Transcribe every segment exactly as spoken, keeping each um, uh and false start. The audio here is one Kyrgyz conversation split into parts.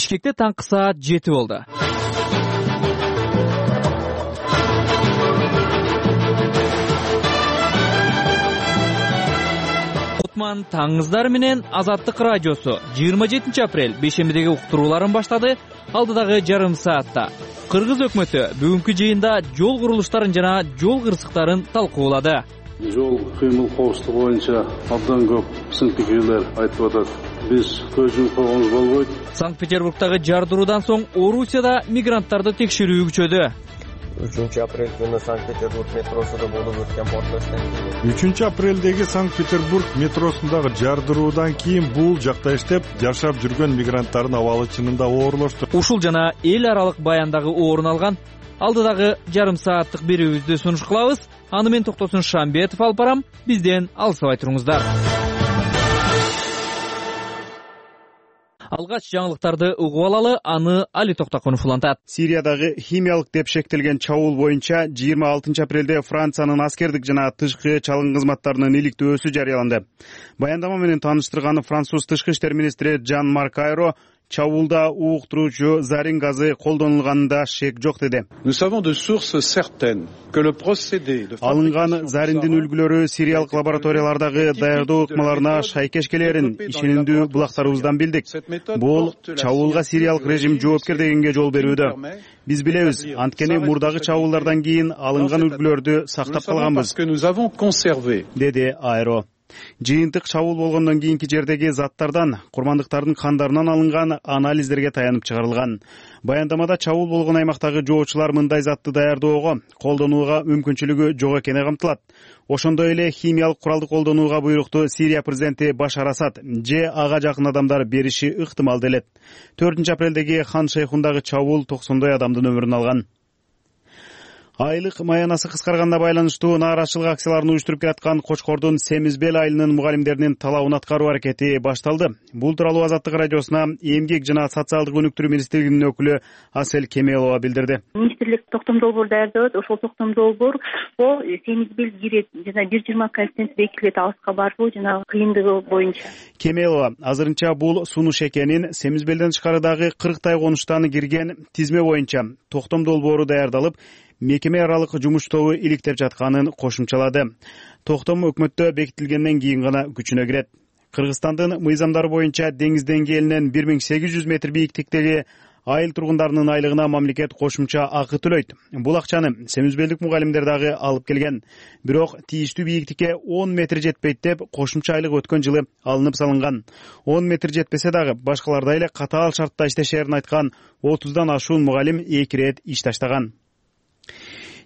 Бишкекте таңкы саат жети болду. Кутман таңыңыздар менен Азаттык радиосу жыйырма жетинчи апрель бейшембидеги уктурууларын баштады. Алдыдагы жарым саатта Кыргыз өкмөтү бүгүнкү жыйында жол курулуштарын жана жол кырсыктарын талкуулады. Жол кыймыл коопсуздугу боюнча абдан көп сын-пикирлер айтып атат. Биз көз жумуп койгонубуз болбойт. Санкт-Петербургдагы жардыруудан соң Орусияда мигранттарды текшерүү күчөдү. үчүнчү апрель күнү Санкт-Петербург метросунда болуп өткөн портлоштон кийин үчүнчү апрелдеги Санкт-Петербург метросундагы жардыруудан кийин бул жакта иштеп жашап жүргөн мигранттардын абалы чынында оорлошту. Ушул жана эл аралык баяндагы орун алган алдыдагы жарым сааттык берүүбүздү сунуш кылабыз. Аны мен Токтосун Шамбетов алып барам. Бизден алыстабай туруңуздар. Алгач жаңылыктарды угуп алалы, аны Али Токтокунов улантат. Сириядагы химиялык деп шектелген чабуул боюнча жыйырма алтынчы апрелде Франциянын аскердик жана тышкы чалгын кызматтарынын иликтөөсү жарыяланды. Баяндама менен тааныштырган француз тышкы иштер министри Жан-Марк Айро чабуулда ууктуруучу зарин газы колдонулганында шек жок деди. Алынган зариндин үлгүлөрү сириялык лабораториялардагы даярдоо ыкмаларына шайкеш келерин ишенимдүү булактарыбыздан билдик. Бул чабуулга сириялык режим жоопкер дегенге жол берүүдө. Биз билебиз, анткени мурдагы чабуулдардан кийин алынган үлгүлөрдү сактап калганбыз, деди Айро. Жыйынтык чабуул болгондон кийинки жердеги заттардан курмандыктардын кандарынан алынган анализдерге таянып чыгарылган. Баяндамада чабуул болгон аймактагы жоочулар мындай затты даярдоого, колдонууга мүмкүнчүлүгү жок экени камтылат. Ошондой эле химиялык куралды колдонууга буйрукту Сирия президенти Башар Асад же ага жакын адамдар бериши ыктымал делет. төртүнчү апрелдеги Хан Шейхундагы чабуул токсондой адамдын өмүрүн алган. Айлык маянасы кыскарганына байланыштуу нааразычылык акцияларын уюштуруп келаткан Кочкордун Семизбел айылынын мугалимдеринин талабын аткаруу аракети башталды. Бул тууралуу Азаттык радиосуна эмгек жана социалдык өнүктүрүү министрлигинин өкүлү Асель Кемелова билдирди. Министрлик токтом долбоор даярдап, ошол токтом долбоор бул Семизбел кирет жана бир жыйырма коэффициент бекитилет алыска барбоо жана кыйындыгы боюнча. Кемелова азырынча бул сунуш экенин, Семизбелден тышкарыдагы кырктай конуштан кирген тизме боюнча токтом долбоору даярдалып, мекеме аралык жумуш тобу иликтеп жатканын кошумчалады. Токтом өкмөттө бекитилгенден кийин гана күчүнө кирет. Кыргызстандын мыйзамдары боюнча деңиз деңгээлинен бир миң сегиз жүз метр бийиктиктеги айыл тургундарынын айлыгына мамлекет кошумча акы төлөйт. Бул акчаны Семизбелдик мугалимдер дагы алып келген. Бирок тийиштүү бийиктикке он метр жетпейт деп кошумча айлык өткөн жылы алынып салынган. он метр жетпесе дагы башкалардай эле катаал шартта иштешерин айткан отуздан ашуун мугалим эки ирет иш таштаган.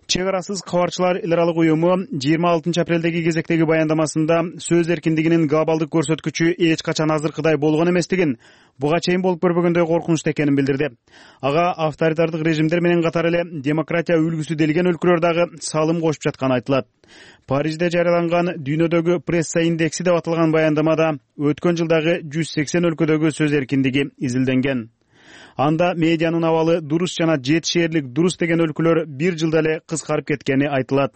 Чек арасыз кабарчылар эл аралык уюму жыйырма алтынчы апрелдеги кезектеги баяндамасында сөз эркиндигинин глобалдык көрсөткүчү эч качан азыркыдай болгон эместигин, буга чейин болуп көрбөгөндөй коркунучтуу экенин билдирди. Ага авторитардык режимдер менен катар эле демократия үлгүсү делген өлкөлөр дагы салым кошуп жатканы айтылат. Парижде жарыяланган дүйнөдөгү пресса индекси деп аталган баяндамада өткөн жылдагы жүз сексен өлкөдөгү сөз эркиндиги изилденген. Анда медианын абалы дурус жана жетишээрлик дурус деген өлкөлөр бир жылда эле кыскарып кеткени айтылат.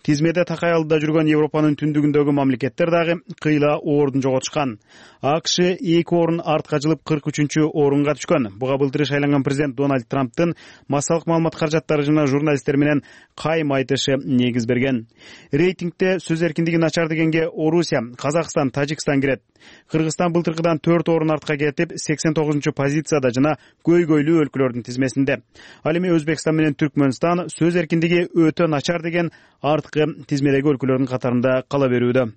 Тизмеде такай алдыда жүргөн Европанын түндүгүндөгү мамлекеттер дагы кыйла ордун жоготушкан. АКШ эки орун артка жылып кырк үчүнчү орунга түшкөн. Буга былтыр шайланган президент Дональд Трамптын массалык маалымат каражаттары жана журналисттер менен кайым айтышы негиз берген. Рейтингде сөз эркиндиги начар дегенге Орусия, Казакстан, Тажикстан кирет. Кыргызстан былтыркыдан төрт орун артка кетип сексен тогузунчу позицияда жана көйгөйлүү өлкөлөрдүн тизмесинде. Ал эми Өзбекстан менен Түркмөнстан сөз эркиндиги өтө начар деген арткы тизмедеги өлкөлөрдүн катарында кала берүүдө.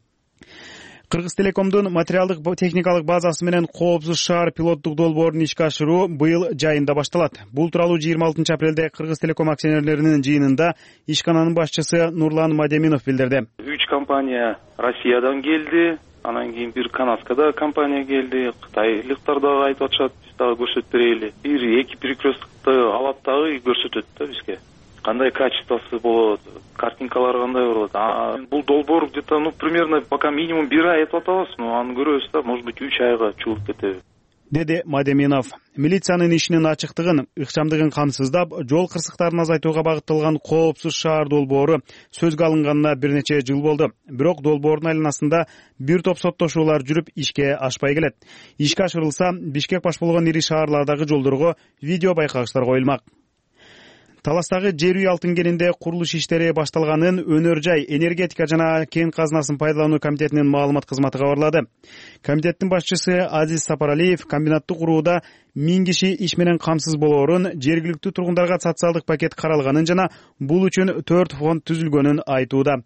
Кыргыз Телекомдун материалдык техникалык базасы менен коопсуз шаар пилоттук долбоорун ишке ашыруу быйыл жайында башталат. Бул тууралуу жыйырма алтынчы апрелде Кыргыз Телеком акционерлеринин жыйынында ишкананын башчысы Нурлан Мадеминов билдирди. Үч компания Россиядан келди, анан кийин бир канадскада компания келди, кытайлыктар дагы айтып атышат, биз дагы көрсөтүп берели. Бир эки перекресткты алат дагы көрсөтөт да бизге. Кандай качествосы болот, картинкалар кандай болот. Бул долбоор где-то, ну, примерно пока минимум бир ай этип атабыз, но аны көрөбүз да, может быть, үч айга чыгып кетеби. деди Мадеминов. Милициянын ишинин ачыктыгын, ыкчамдыгын камсыздап, жол кырсыктарын азайтууга багытталган коопсуз шаар долбоору сөзгө алынганына бир нече жыл болду. Бирок долбоордун айланасында бир топ соттошуулар жүрүп, ишке ашпай келет. Ишке ашырылса, Бишкек баш болгон ири шаарлардагы жолдорго видео байкагычтар коюлмак. Таластагы жер үй алтын кенинде курулуш иштери башталганын Өнөр жай, энергетика жана кен казынасын пайдалануу комитетинин маалымат кызматы кабарлады. Комитеттин башчысы Азиз Сапаралиев комбинатты курууда миң киши иш менен камсыз болоорун, жергиликтүү тургундарга социалдык пакет каралганын жана бул үчүн төрт фонд түзүлгөнүн айтууда.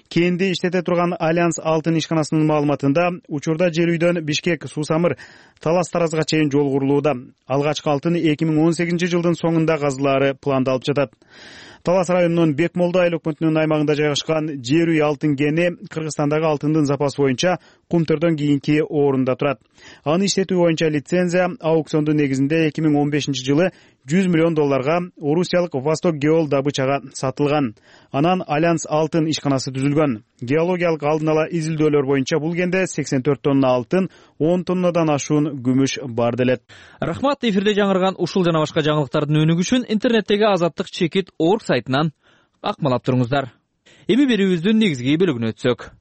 Кенди иштете турган Альянс алтын ишканасынын маалыматында учурда жер үйдөн Бишкек, Суу-Самыр, Талас-Таразга чейин жол курулууда. Алгачкы алтын эки миң он сегизинчи жылдын соңунда казылаары пландалып жатат. Талас районунун Бекмолдо айыл өкмөтүнүн аймагында жайгашкан жер үй алтын кени Кыргызстандагы алтындын запасы боюнча Кумтөрдөн кийинки орунда турат. Аны иштетүү боюнча лицензия аукциондун негизинде эки миң он бешинчи жылы жүз миллион долларга орусиялык Восток Геол добычага сатылган. Анан Альянс алтын ишканасы түзүлгөн. Геологиялык алдын ала изилдөөлөр боюнча бул кенде сексен төрт тонна алтын, он тоннадан ашуун күмүш бар делет. Рахмат, эфирде жаңырган ушул жана башка жаңылыктардын өнүгү үчүн интернеттеги азаттык чекит орг сайтынан акмалап туруңуздар. Эми берүүбүздүн негизги бөлүгүнө өтсөк.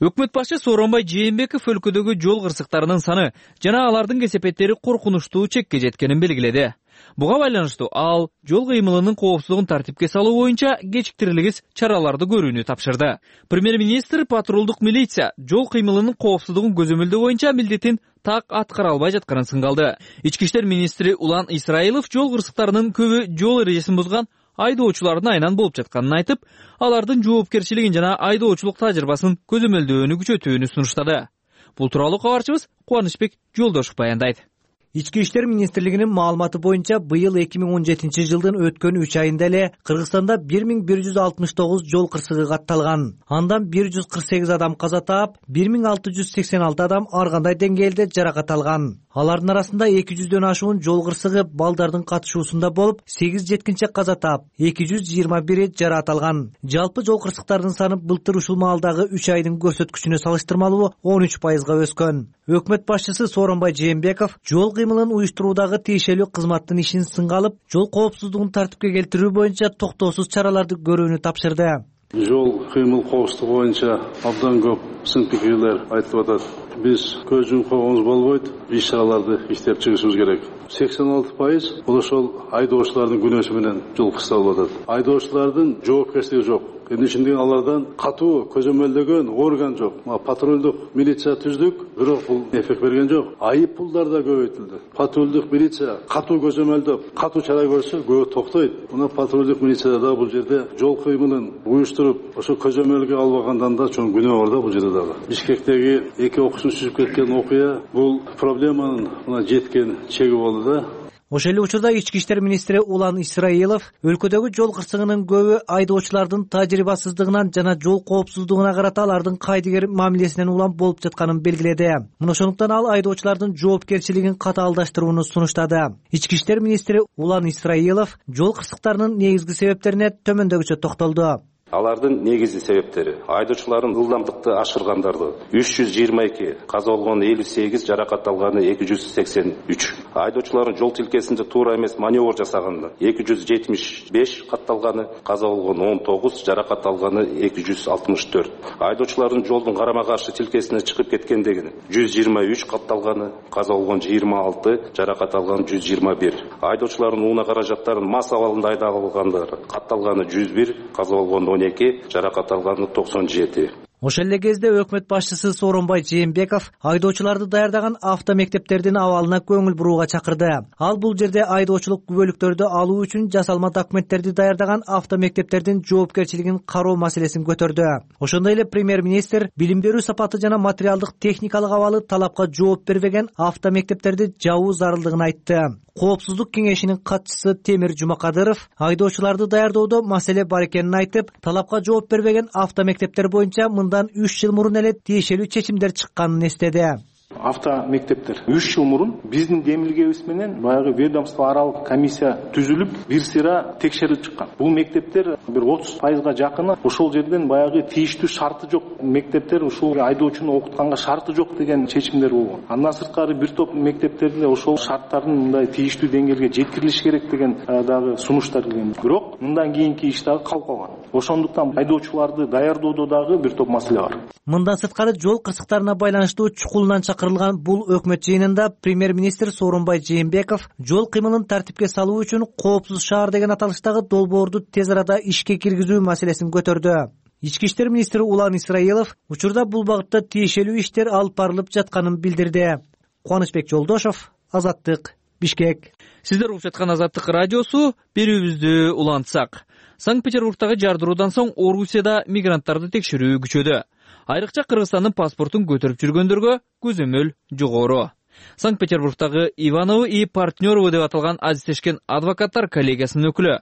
Өкмөт башчы Сооронбай Жээнбеков өлкөдөгү жол кырсыктарынын саны жана алардын кесепеттери коркунучтуу чекке жеткенин белгиледи. Буга байланыштуу ал жол кыймылынын коопсуздугун тартипке салуу боюнча кечиктирилгис чараларды көрүүнү тапшырды. Премьер-министр патрулдук милиция жол кыймылынын коопсуздугун көзөмөлдөө боюнча милдетин так аткара албай жатканын сынгалды. Ички иштер министри Улан Исраилов жол кырсыктарынын көбү жол эрежесин бузган айдоочулардын айынан болуп жатканын айтып, алардын жоопкерчилигин жана айдоочулук тажрыйбасын көзөмөлдөөнү күчөтүүнү сунуштады. Бул тууралуу кабарчыбыз Кубанычбек Жолдошов баяндайт. Ички иштер министрлигинин маалыматы боюнча быйыл эки миң он жетинчи жылдын өткөн үч айында эле Кыргызстанда бир миң бир жүз алтымыш тогуз жол кырсыгы катталган. Андан бир жүз кырк сегиз адам каза таап, бир миң алты жүз сексен алты адам ар кандай деңгээлде жаракат алган. Алардын арасында эки жүздөн ашуун жол кырсыгы балдардын катышуусунда болуп, сегиз жеткинчи каза таап, эки жүз жыйырма бири жаракат алган. Жалпы жол кырсыктарынын саны былтыр ушул маалдагы үч айдын көрсөткүчүнө салыштырмалуу он үч пайызга өскөн. Өкмөт башчысы Сооронбай Жээнбеков жол кыймылын уюштуруудагы тиешелүү кызматтын ишин сынга алып, жол коопсуздугун тартипке келтирүү боюнча токтоосуз чараларды көрүүнү тапшырды. Жол кыймыл коопсуздугу боюнча абдан көп сын пикирлер айтылып атат. Биз көз жумкогубуз болбойт, иш чараларды иштеп чыгышыбыз керек. сексен алты пайыз бул ошол айдоочулардын күнөөсү менен жол кырсытылып атат. Айдоочулардын жоопкерчилиги жок. Эми ишинде алардан катуу көзөмөлдөгөн орган жок. Патрулдук милиция түздүк, бирок бул эффект берген жок. Айып пулдар да көбөйтүлдү. Патрулдук милиция катуу көзөмөлдөп, катуу чара көрсө көбө токтойт. Мына патрулдук милиция да бул жерде жол кыймылын уюштуруп, ошо көзөмөлгө албагандан да чоң күнөө бар да бул жерде дагы. Бишкектеги эки окуучу сүзүп кеткен окуя бул проблеманын мына жеткен чеги болду да. Ошол эле учурда ички иштер министри Улан Исраилов өлкөдөгү жол кырсыгынын көбү айдоочулардын тажрыйбасыздыгынан жана жол коопсуздугуна карата алардын кайдыгер мамилесинен улам болуп жатканын белгиледи. Мына ошондуктан ал айдоочулардын жоопкерчилигин катаалдаштырууну сунуштады. Ички иштер министри Улан Исраилов жол кырсыктарынын негизги себептерине төмөндөгүчө токтолду. Алардын негизги себептери айдоочулардын ылдамдыкты ашыргандарды үч жүз жыйырма эки, каза болгону элүү сегиз, жаракат алганы эки жүз сексен үч. Айдоочулардын жол тилкесинде туура эмес маневр жасаганда эки жүз жетимиш беш катталганы, каза болгону он тогуз, жаракат алганы эки жүз алтымыш төрт. Айдоочулардын жолдун карама каршы тилкесине чыгып кеткендеги жүз жыйырма үч катталганы, каза болгону жыйырма алты, жаракат алганы жүз жыйырма бир. Айдоочулардын унаа каражаттарын мас абалында айдагандары катталганы жүз бир, каза болгону он эки, жаракат алганы токсон жети. Ошол эле кезде өкмөт башчысы Сооронбай Жээнбеков айдоочуларды даярдаган автомектептердин абалына көңүл бурууга чакырды. Ал бул жерде айдоочулук күбөлүктөрдү алуу үчүн жасалма документтерди даярдаган автомектептердин жоопкерчилигин кароо маселесин көтөрдү. Ошондой эле премьер-министр билим берүү сапаты жана материалдык техникалык абалы талапка жооп бербеген автомектептерди жабуу зарылдыгын айтты. Коопсуздук кеңешинин катчысы Темир Жумакадыров айдоочуларды даярдоодо маселе бар экенин айтып, талапка жооп бербеген автомектептер боюнча мындан үч жыл мурун эле тиешелүү чечимдер чыкканын эстеди. автомектептер. үч жыл мурун биздин демилгебиз менен баягы ведомство аралык комиссия түзүлүп бир сыйра текшерилип чыккан. Бул мектептер бир отуз пайызга жакыны ошол жерден баягы тийиштүү шарты жок мектептер, ушул айдоочуну окутканга шарты жок деген чечимдер болгон. Андан сырткары бир топ мектептерде ошол шарттардын мындай тийиштүү деңгээлге жеткирилиш керек деген дагы сунуштар келген. Бирок мындан кийинки иш дагы калып калган. Ошондуктан айдоочуларды даярдоодо дагы бир топ маселе бар. Мындан сырткары жол кырсыктарына байланыштуу чукулунан чакырылган бул өкмөт жыйынында премьер-министр Сооронбай Жээнбеков жол кыймылын тартипке салуу үчүн коопсуз шаар деген аталыштагы долбоорду тез арада ишке киргизүү маселесин көтөрдү. Ички иштер министри Улан Исраилов учурда бул багытта тиешелүү иштер алып барылып жатканын билдирди. Кубанычбек Жолдошов, Азаттык, Бишкек. Сиздер угуп жаткан Азаттык радиосу. Берүүбүздү улантсак. Санкт-Петербургдагы жардыруудан соң Орусияда мигранттарды текшерүү күчөдү. Айрыкча Кыргызстандын паспортун көтөрүп жүргөндөргө көзөмөл жогору. Санкт-Петербургдагы Ивановы и партнёровы деп аталган азиздешкен адвокаттар коллегиясынын өкүлү,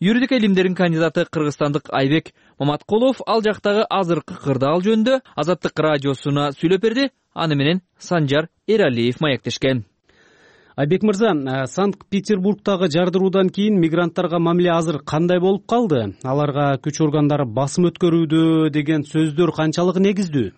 юридика илимдеринин кандидаты кыргызстандык Айбек Маматкулов ал жактагы азыркы кырдаал жөнүндө Азаттык радиосуна сүйлөп берди. Аны менен Санжар Эралиев маектешкен. Айбек мырза, Санкт-Петербургдагы жардыруудан кийин мигранттарга мамиле азыр кандай болуп калды? Аларга күч органдары басым өткөрүүдө деген сөздөр канчалык негиздүү?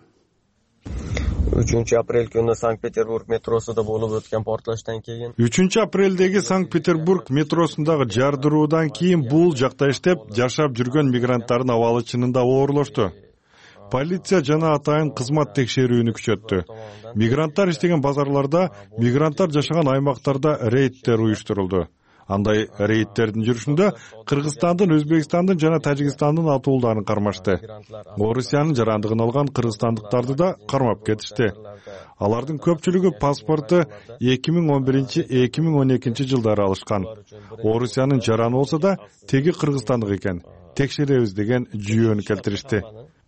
үчүнчү апрель күнү Санкт-Петербург метросунда болуп өткөн портлоштон кийин үчүнчү апрелдеги Санкт-Петербург метросундагы жардыруудан кийин бул жакта иштеп жашап жүргөн мигранттардын абалы чынында оорлошту. Полиция жана атайын кызмат текшерүүнү күчөттү. Мигранттар иштеген базарларда, мигранттар жашаган аймактарда рейдтер уюштурулду. Андай рейдтердин жүрүшүндө Кыргызстандын, Өзбекстандын жана Тажикстандын атуулдарын кармашты. Орусиянын жарандыгын алган кыргызстандыктарды да кармап кетишти. Алардын көпчүлүгү паспорту эки миң он биринчи — эки миң он экинчи жылдары алышкан. Орусиянын жараны болсо да теги кыргызстандык экен. Текшеребиз деген жүйөнү келтиришти.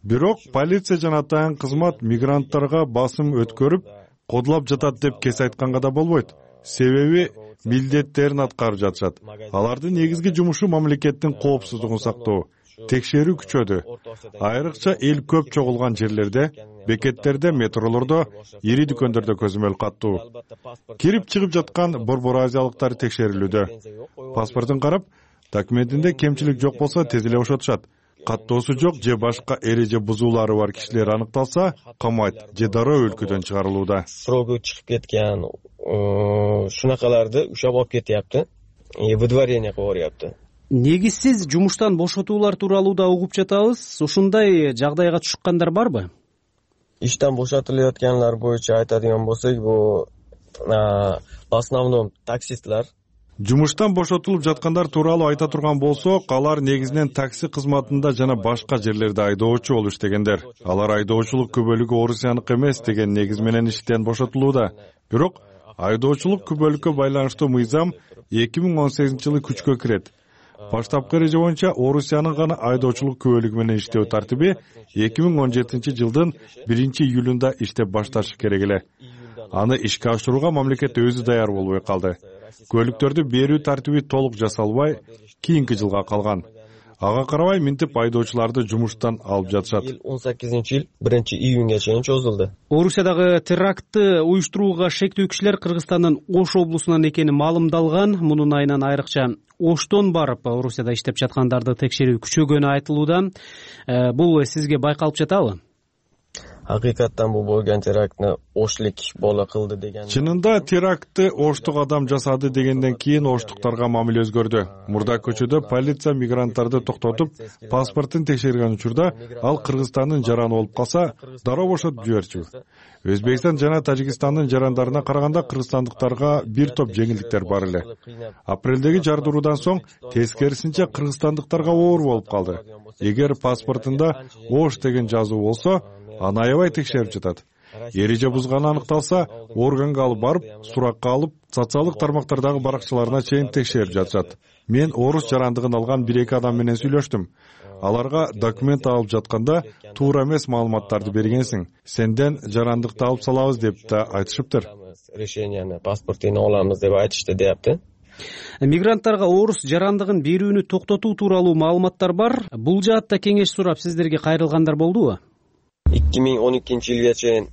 Бирок полиция жана атайын кызмат мигранттарга басым өткөрүп, кодулап жатат деп кес айтканга да болбойт. Себеби милдеттерин аткарып жатышат. Алардын негизги жумушу мамлекеттин коопсуздугун сактоо. Текшерүү күчөдү. Айрыкча эл көп чогулган жерлерде, бекеттерде, метролордо, ири дүкөндөрдө көзөмөл каттуу. Кирип чыгып жаткан борбор азиялыктар текшерилүүдө. Паспортун карап, документинде кемчилик жок болсо тез эле бошотушат. Каттоосу жок же башка эреже бузуулары бар кишилер аныкталса, камайт же дароо өлкөдөн чыгарылууда. Срогу чыгып кеткен шунакаларды ушап алып кетяпты. Выдворение кылып. Негизсиз жумуштан бошотуулар тууралуу да угуп жатабыз. Ушундай жагдайга чыккандар барбы? Иштен бошотулуп аткандар боюнча айтадыган болсок, бул в основном таксистлер. Жумуштан бошотулуп жаткандар тууралуу айта турган болсок, алар негизинен такси кызматында жана башка жерлерде айдоочу болуп иштегендер. Алар айдоочулук күбөлүгү орусияныкы эмес деген негиз менен иштен бошотулууда. Бирок айдоочулук күбөлүккө байланыштуу мыйзам эки миң он сегизинчи жылы күчкө кирет. Баштапкы эреже боюнча Орусиянын гана айдоочулук күбөлүгү менен иштөө тартиби эки миң он жетинчи жылдын биринчи июлунда иштеп башташы керек эле. Аны ишке ашырууга мамлекет өзү даяр болбой калды. Көлүктөрдү берүү тартиби толук жасалбай, кийинки жылга калган. Ага карабай минтип айдоочуларды жумуштан алып жатышат. он сегизинчи жыл биринчи июнга чейин чозулду. Орусиядагы терактты уюштурууга шектүү кишилер Кыргызстандын Ош облусунан экени маалымдалган. Мунун айынан айрыкча Оштон барып, Орусияда иштеп жаткандарды текшерүү күчөгөнү айтылууда. Бул сизге байкалып жатабы? Hakikaten bu bo'lgan teraktni Oshlik bola qildi degan. Чынында терактты Оштук адам жасады дегенден кийин оштуктарга мамиле өзгөрдү. Мурда көчөдө полиция мигранттарды токтотуп, паспортун текшерген учурда ал Кыргызстандын жараны болуп калса, дароо бошотуп жиберчү. Өзбекстан жана Тажикстандын жарандарына караганда кыргызстандыктарга бир топ жеңилдиктер бар эле. Апрелдеги жардыруудан соң тескерисинче кыргызстандыктарга оор болуп калды. Эгер паспортунда Ош деген жазуу болсо, аны аябай текшерип жатат. Эреже бузганы аныкталса, органга алып барып, суракка алып, социалдык тармактардагы баракчаларына чейин текшерип жатышат. Мен орус жарандыгын алган бир эки адам менен сүйлөштүм. Аларга документ алып жатканда туура эмес маалыматтарды бергенсиң, сенден жарандыкты алып салабыз деп да айтышыптыр. Решенияны, паспортун алабыз деп айтышты депти. Мигранттарга орус жарандыгын берүүнү токтотуу тууралуу маалыматтар бар. Бул жаатта кеңеш сурап сиздерге кайрылгандар болдубу? эки миң он экинчи жылга чейин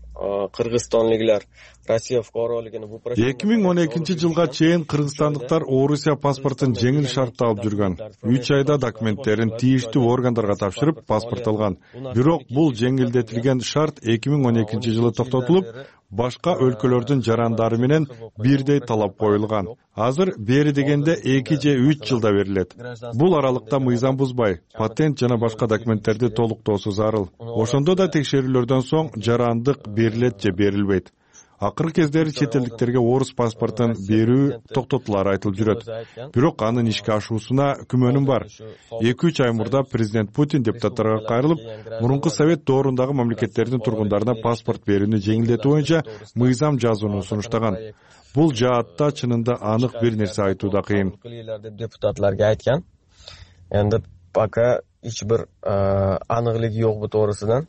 кыргызстанлыктар Россия фукаролигин эки миң он экинчи жылга чейин кыргызстандыктар Орусия паспортун жеңил шартта алып жүргөн. үч айда документтерин тийиштүү органдарга тапшырып паспорт алган. Бирок бул жеңилдетилген шарт эки миң он экинчи жылы токтотулуп, башка өлкөлөрдүн жарандары менен бирдей талап коюлган. Азыр бери дегенде эки же үч жылда берилет. Бул аралыкта мыйзам бузбай, патент жана башка документтерди толуктоосу зарыл. Ошондо да текшерүүлөрдөн соң жарандык берилет же берилбейт. Акыркы кездери чет элдиктерге орус паспортун берүү токтотулары айтылып жүрөт. Бирок анын ишке ашуусуна күмөнүм бар. эки үч ай мурда президент Путин депутаттарга кайрылып, мурунку совет доорундагы мамлекеттердин тургундарына паспорт берүүнү жеңилдетүү боюнча мыйзам жазууну сунуштаган. Бул жаатта чынында анык бир нерсе айтуу да кыйын. Депутатларга айткан. Эndi пока эч бир аныклык жок бу тоорусунан.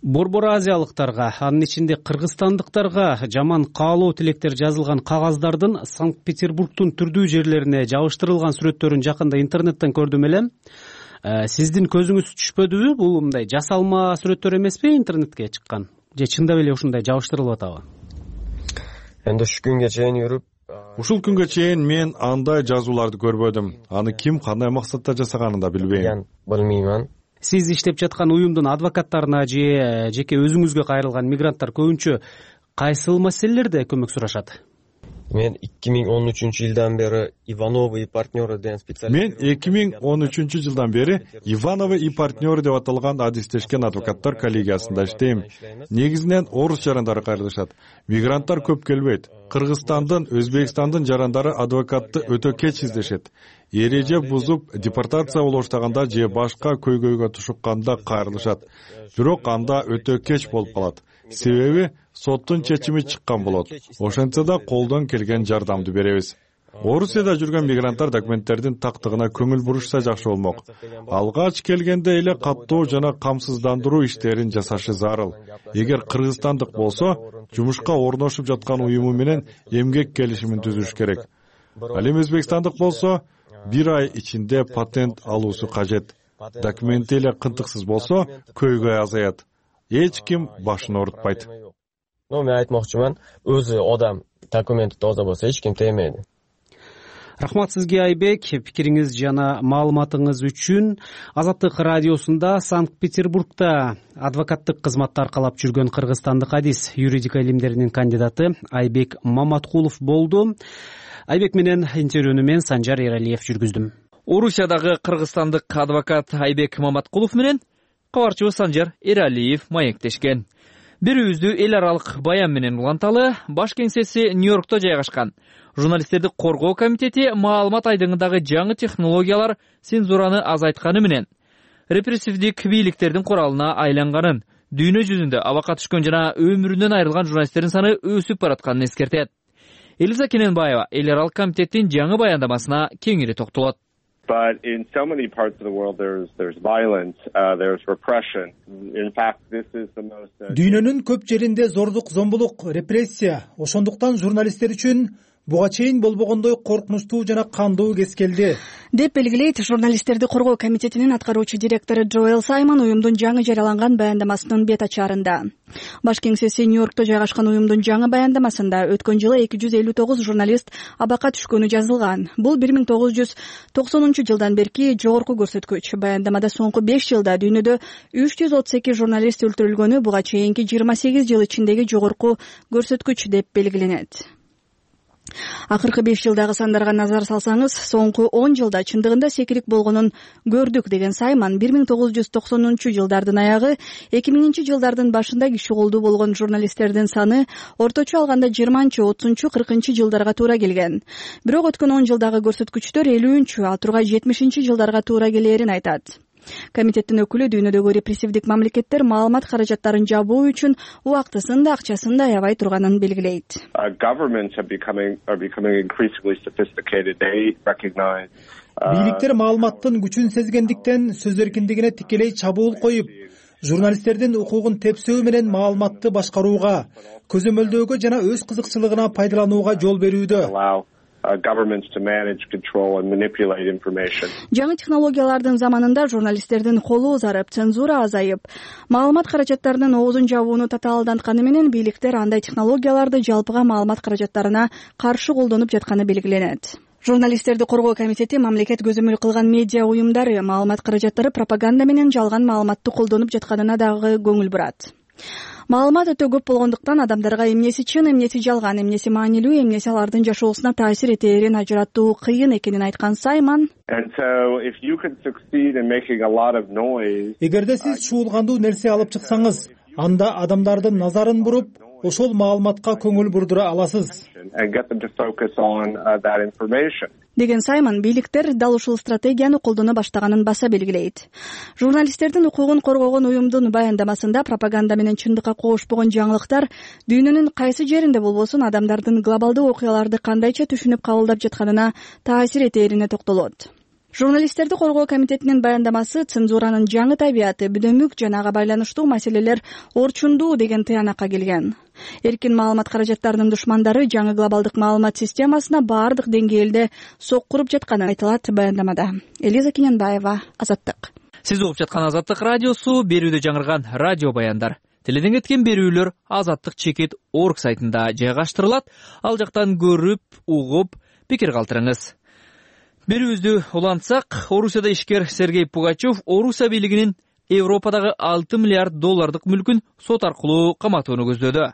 Борбор азиялыктарга, анын ичинде кыргызстандыктарга жаман каалоо тилектер жазылган кагаздардын Санкт-Петербургдун түрдүү жерлерине жабыштырылган сүрөттөрүн жакында интернеттен көрдүм элем. Сиздин көзүңүз түшпөдүбү? Бул мындай жасалма сүрөттөр эмеспи интернетке чыккан? Же чындап эле ушундай жабыштырылып атабы? Эndi ушу күнгө чейин жүрүп, ушул күнгө чейин мен андай жазууларды көрбөдүм. Аны ким кандай максатта жасаганын да билбейм. Билбеймин. Сиз иштеп жаткан уюмдун адвокаттарына же жеке өзүңүзгө кайрылган мигранттар көбүнчө кайсыл маселелерде көмөк сурашат? Мен эки миң он үчүнчү жылдан бери Ивановы и партнеры деген специалист. Мен эки миң он үчүнчү жылдан бери Ивановы и партнеры деп аталган адистешкен адвокаттар коллегиясында иштейм. Негизинен орус жарандары кайрылышат. Мигранттар көп келбейт. Кыргызстандын, Өзбекстандын жарандары адвокатты өтө кеч издешет. Эреже бузуп, депортация боло баштаганда же башка көйгөйгө тушукканда кайрылышат. Бирок анда өтө кеч болуп калат. Себеби соттун чечими чыккан болот. Ошентсе да колдон келген жардамды беребиз. Орусияда жүргөн мигранттар документтердин тактыгына көңүл бурушса жакшы болмок. Алгач келгенде эле каттоо жана камсыздандыруу иштерин жасашы зарыл. Эгер кыргызстандык болсо, жумушка орношуп жаткан уюму менен эмгек келишимин түзүш керек. Ал эми өзбекстандык болсо, бир ай ичинде патент алуусу кажет. Документи эле кынтыксыз болсо, көйгөй азаят. Эч ким башын оорутпайт. Но мен айтмакчымын, өзү адам документи тоза болсо эч ким тиймейди. Рахмат сизге Айбек, пикириңиз жана маалыматыңыз үчүн. Азаттык радиосунда Санкт-Петербургда адвокаттык кызматты аркалап жүргөн кыргызстандык адис юридика илимдеринин кандидаты Айбек Маматкулов болду. Айбек менен интервьюну мен Санжар Эралиев жүргүздүм. Орусиядагы кыргызстандык адвокат Айбек Маматкулов менен кабарчыбыз Санжар Эралиев маектешкен. Бирүүбүздү эл аралык баян менен уланталы. Баш кеңсеси Нью-Йоркто жайгашкан. Журналисттерди коргоо комитети маалымат айдыңындагы жаңы технологиялар цензураны азайтканы менен репрессивдик бийликтердин куралына айланганын, дүйнө жүзүндө абакка түшкөн жана өмүрүнөн айрылган журналисттердин саны өсүп баратканын эскертет. Элиза Кененбаева эл аралык комитеттин жаңы баяндамасына кеңири токтолот. But in so many parts of the world, there's there's violence, uh, there's repression. In fact, this is the most. Дүйнөнүн көп жеринде зордук, зомбулук, репрессия. Ошондуктан журналисттер үчүн буга чейин болбогондой коркунучтуу жана кандуу кез келди деп белгилейт журналисттерди коргоо комитетинин аткаруучу директору Джоэл Саймон уюмдун жаңы жарыяланган баяндамасынын бет ачаарында. Баш кеңсеси Нью-Йоркто жайгашкан уюмдун жаңы баяндамасында өткөн жылы эки жүз элүү тогуз журналист абакка түшкөнү жазылган. Бул бир миң тогуз жүз токсонунчу жылдан берки жогорку көрсөткүч. Баяндамада соңку беш жылда дүйнөдө үч жүз отуз эки журналист өлтүрүлгөнү буга чейинки жыйырма сегиз жыл ичиндеги жогорку көрсөткүч деп белгиленет. Акыркы беш жылдагы сандарга назар салсаңыз, соңку он жылда чындыгында секирик болгонун көрдүк деген Саймон бир миң тогуз жүз токсонунчу жылдардын аягы, эки миңинчи жылдардын башында киши колдуу болгон журналисттердин саны орточо алганда жыйырманчы, отузунчу, кыркынчы жылдарга туура келген. Бирок өткөн он жылдагы көрсөткүчтөр элүүнчү, ал тургай жетимишинчи жылдарга туура келээрин айтат. Комитеттин өкүлү дүйнөдөгү репрессивдик мамлекеттер маалымат каражаттарын жабуу үчүн убактысын да акчасын да аябай турганын белгилейт. Бийликтер маалыматтын күчүн сезгендиктен сөз эркиндигине тикелей чабуул коюп, журналисттердин укугун тепсөө менен маалыматты башкарууга, көзөмөлдөөгө жана өз кызыкчылыгына пайдаланууга жол берүүдө. governments to manage, control and manipulate information. Жаңы технологиялардын заманында журналисттердин колу узарып, цензура азайып, маалымат каражаттарынын оозун жабууну татаалдантканы менен бийликтер андай технологияларды жалпыга маалымат каражаттарына каршы колдонуп жатканы белгиленет. Журналисттерди коргоо комитети мамлекет көзөмөл кылган медиа уюмдары маалымат каражаттары пропаганда менен жалган маалыматты колдонуп жатканына дагы көңүл бурат. Маалымат өтө көп болгондуктан адамдарга эмнеси чын, эмнеси жалган, эмнеси маанилүү, эмнеси алардын жашоосуна таасир этээрин ажыраттуу кыйын экенин айткан Саймон, эгерде сиз чуулгандуу нерсе алып чыксаңыз, анда адамдардын назарын буруп, ошол маалыматка көңүл бурдура аласыз деген Саймон бийликтер дал ушул стратегияны колдоно баштаганын баса белгилейт. Журналисттердин укугун коргогон уюмдун баяндамасында пропаганда менен чындыкка коошпогон жаңылыктар дүйнөнүн кайсы жеринде болбосун адамдардын глобалдуу окуяларды кандайча түшүнүп кабылдап жатканына таасир этээрине токтолот. Журналисттерди коргоо комитетинин баяндамасы цензуранын жаңы табияты, бүдөмүк жана ага байланыштуу маселелер орчундуу деген тыянакка келген. Эркин маалымат каражаттарынын душмандары жаңы глобалдык маалымат системасына баардык деңгээлде соккуруп жатканы айтылат баяндамада. Элиза Кененбаева, Азаттык. Сиз угуп жаткан Азаттык радиосу, берүүдө жаңырган радио баяндар. Теледен кеткен берүүлөр азаттык чекит точка орг сайтында жайгаштырылат. Ал жактан көрүп, угуп, пикир калтырыңыз. Берүүбүздү улантсак, Орусияда ишкер Сергей Пугачев Орусия бийлигинин Европадагы алты миллиард доллардык мүлкүн сот аркылуу каматууну көздөдү.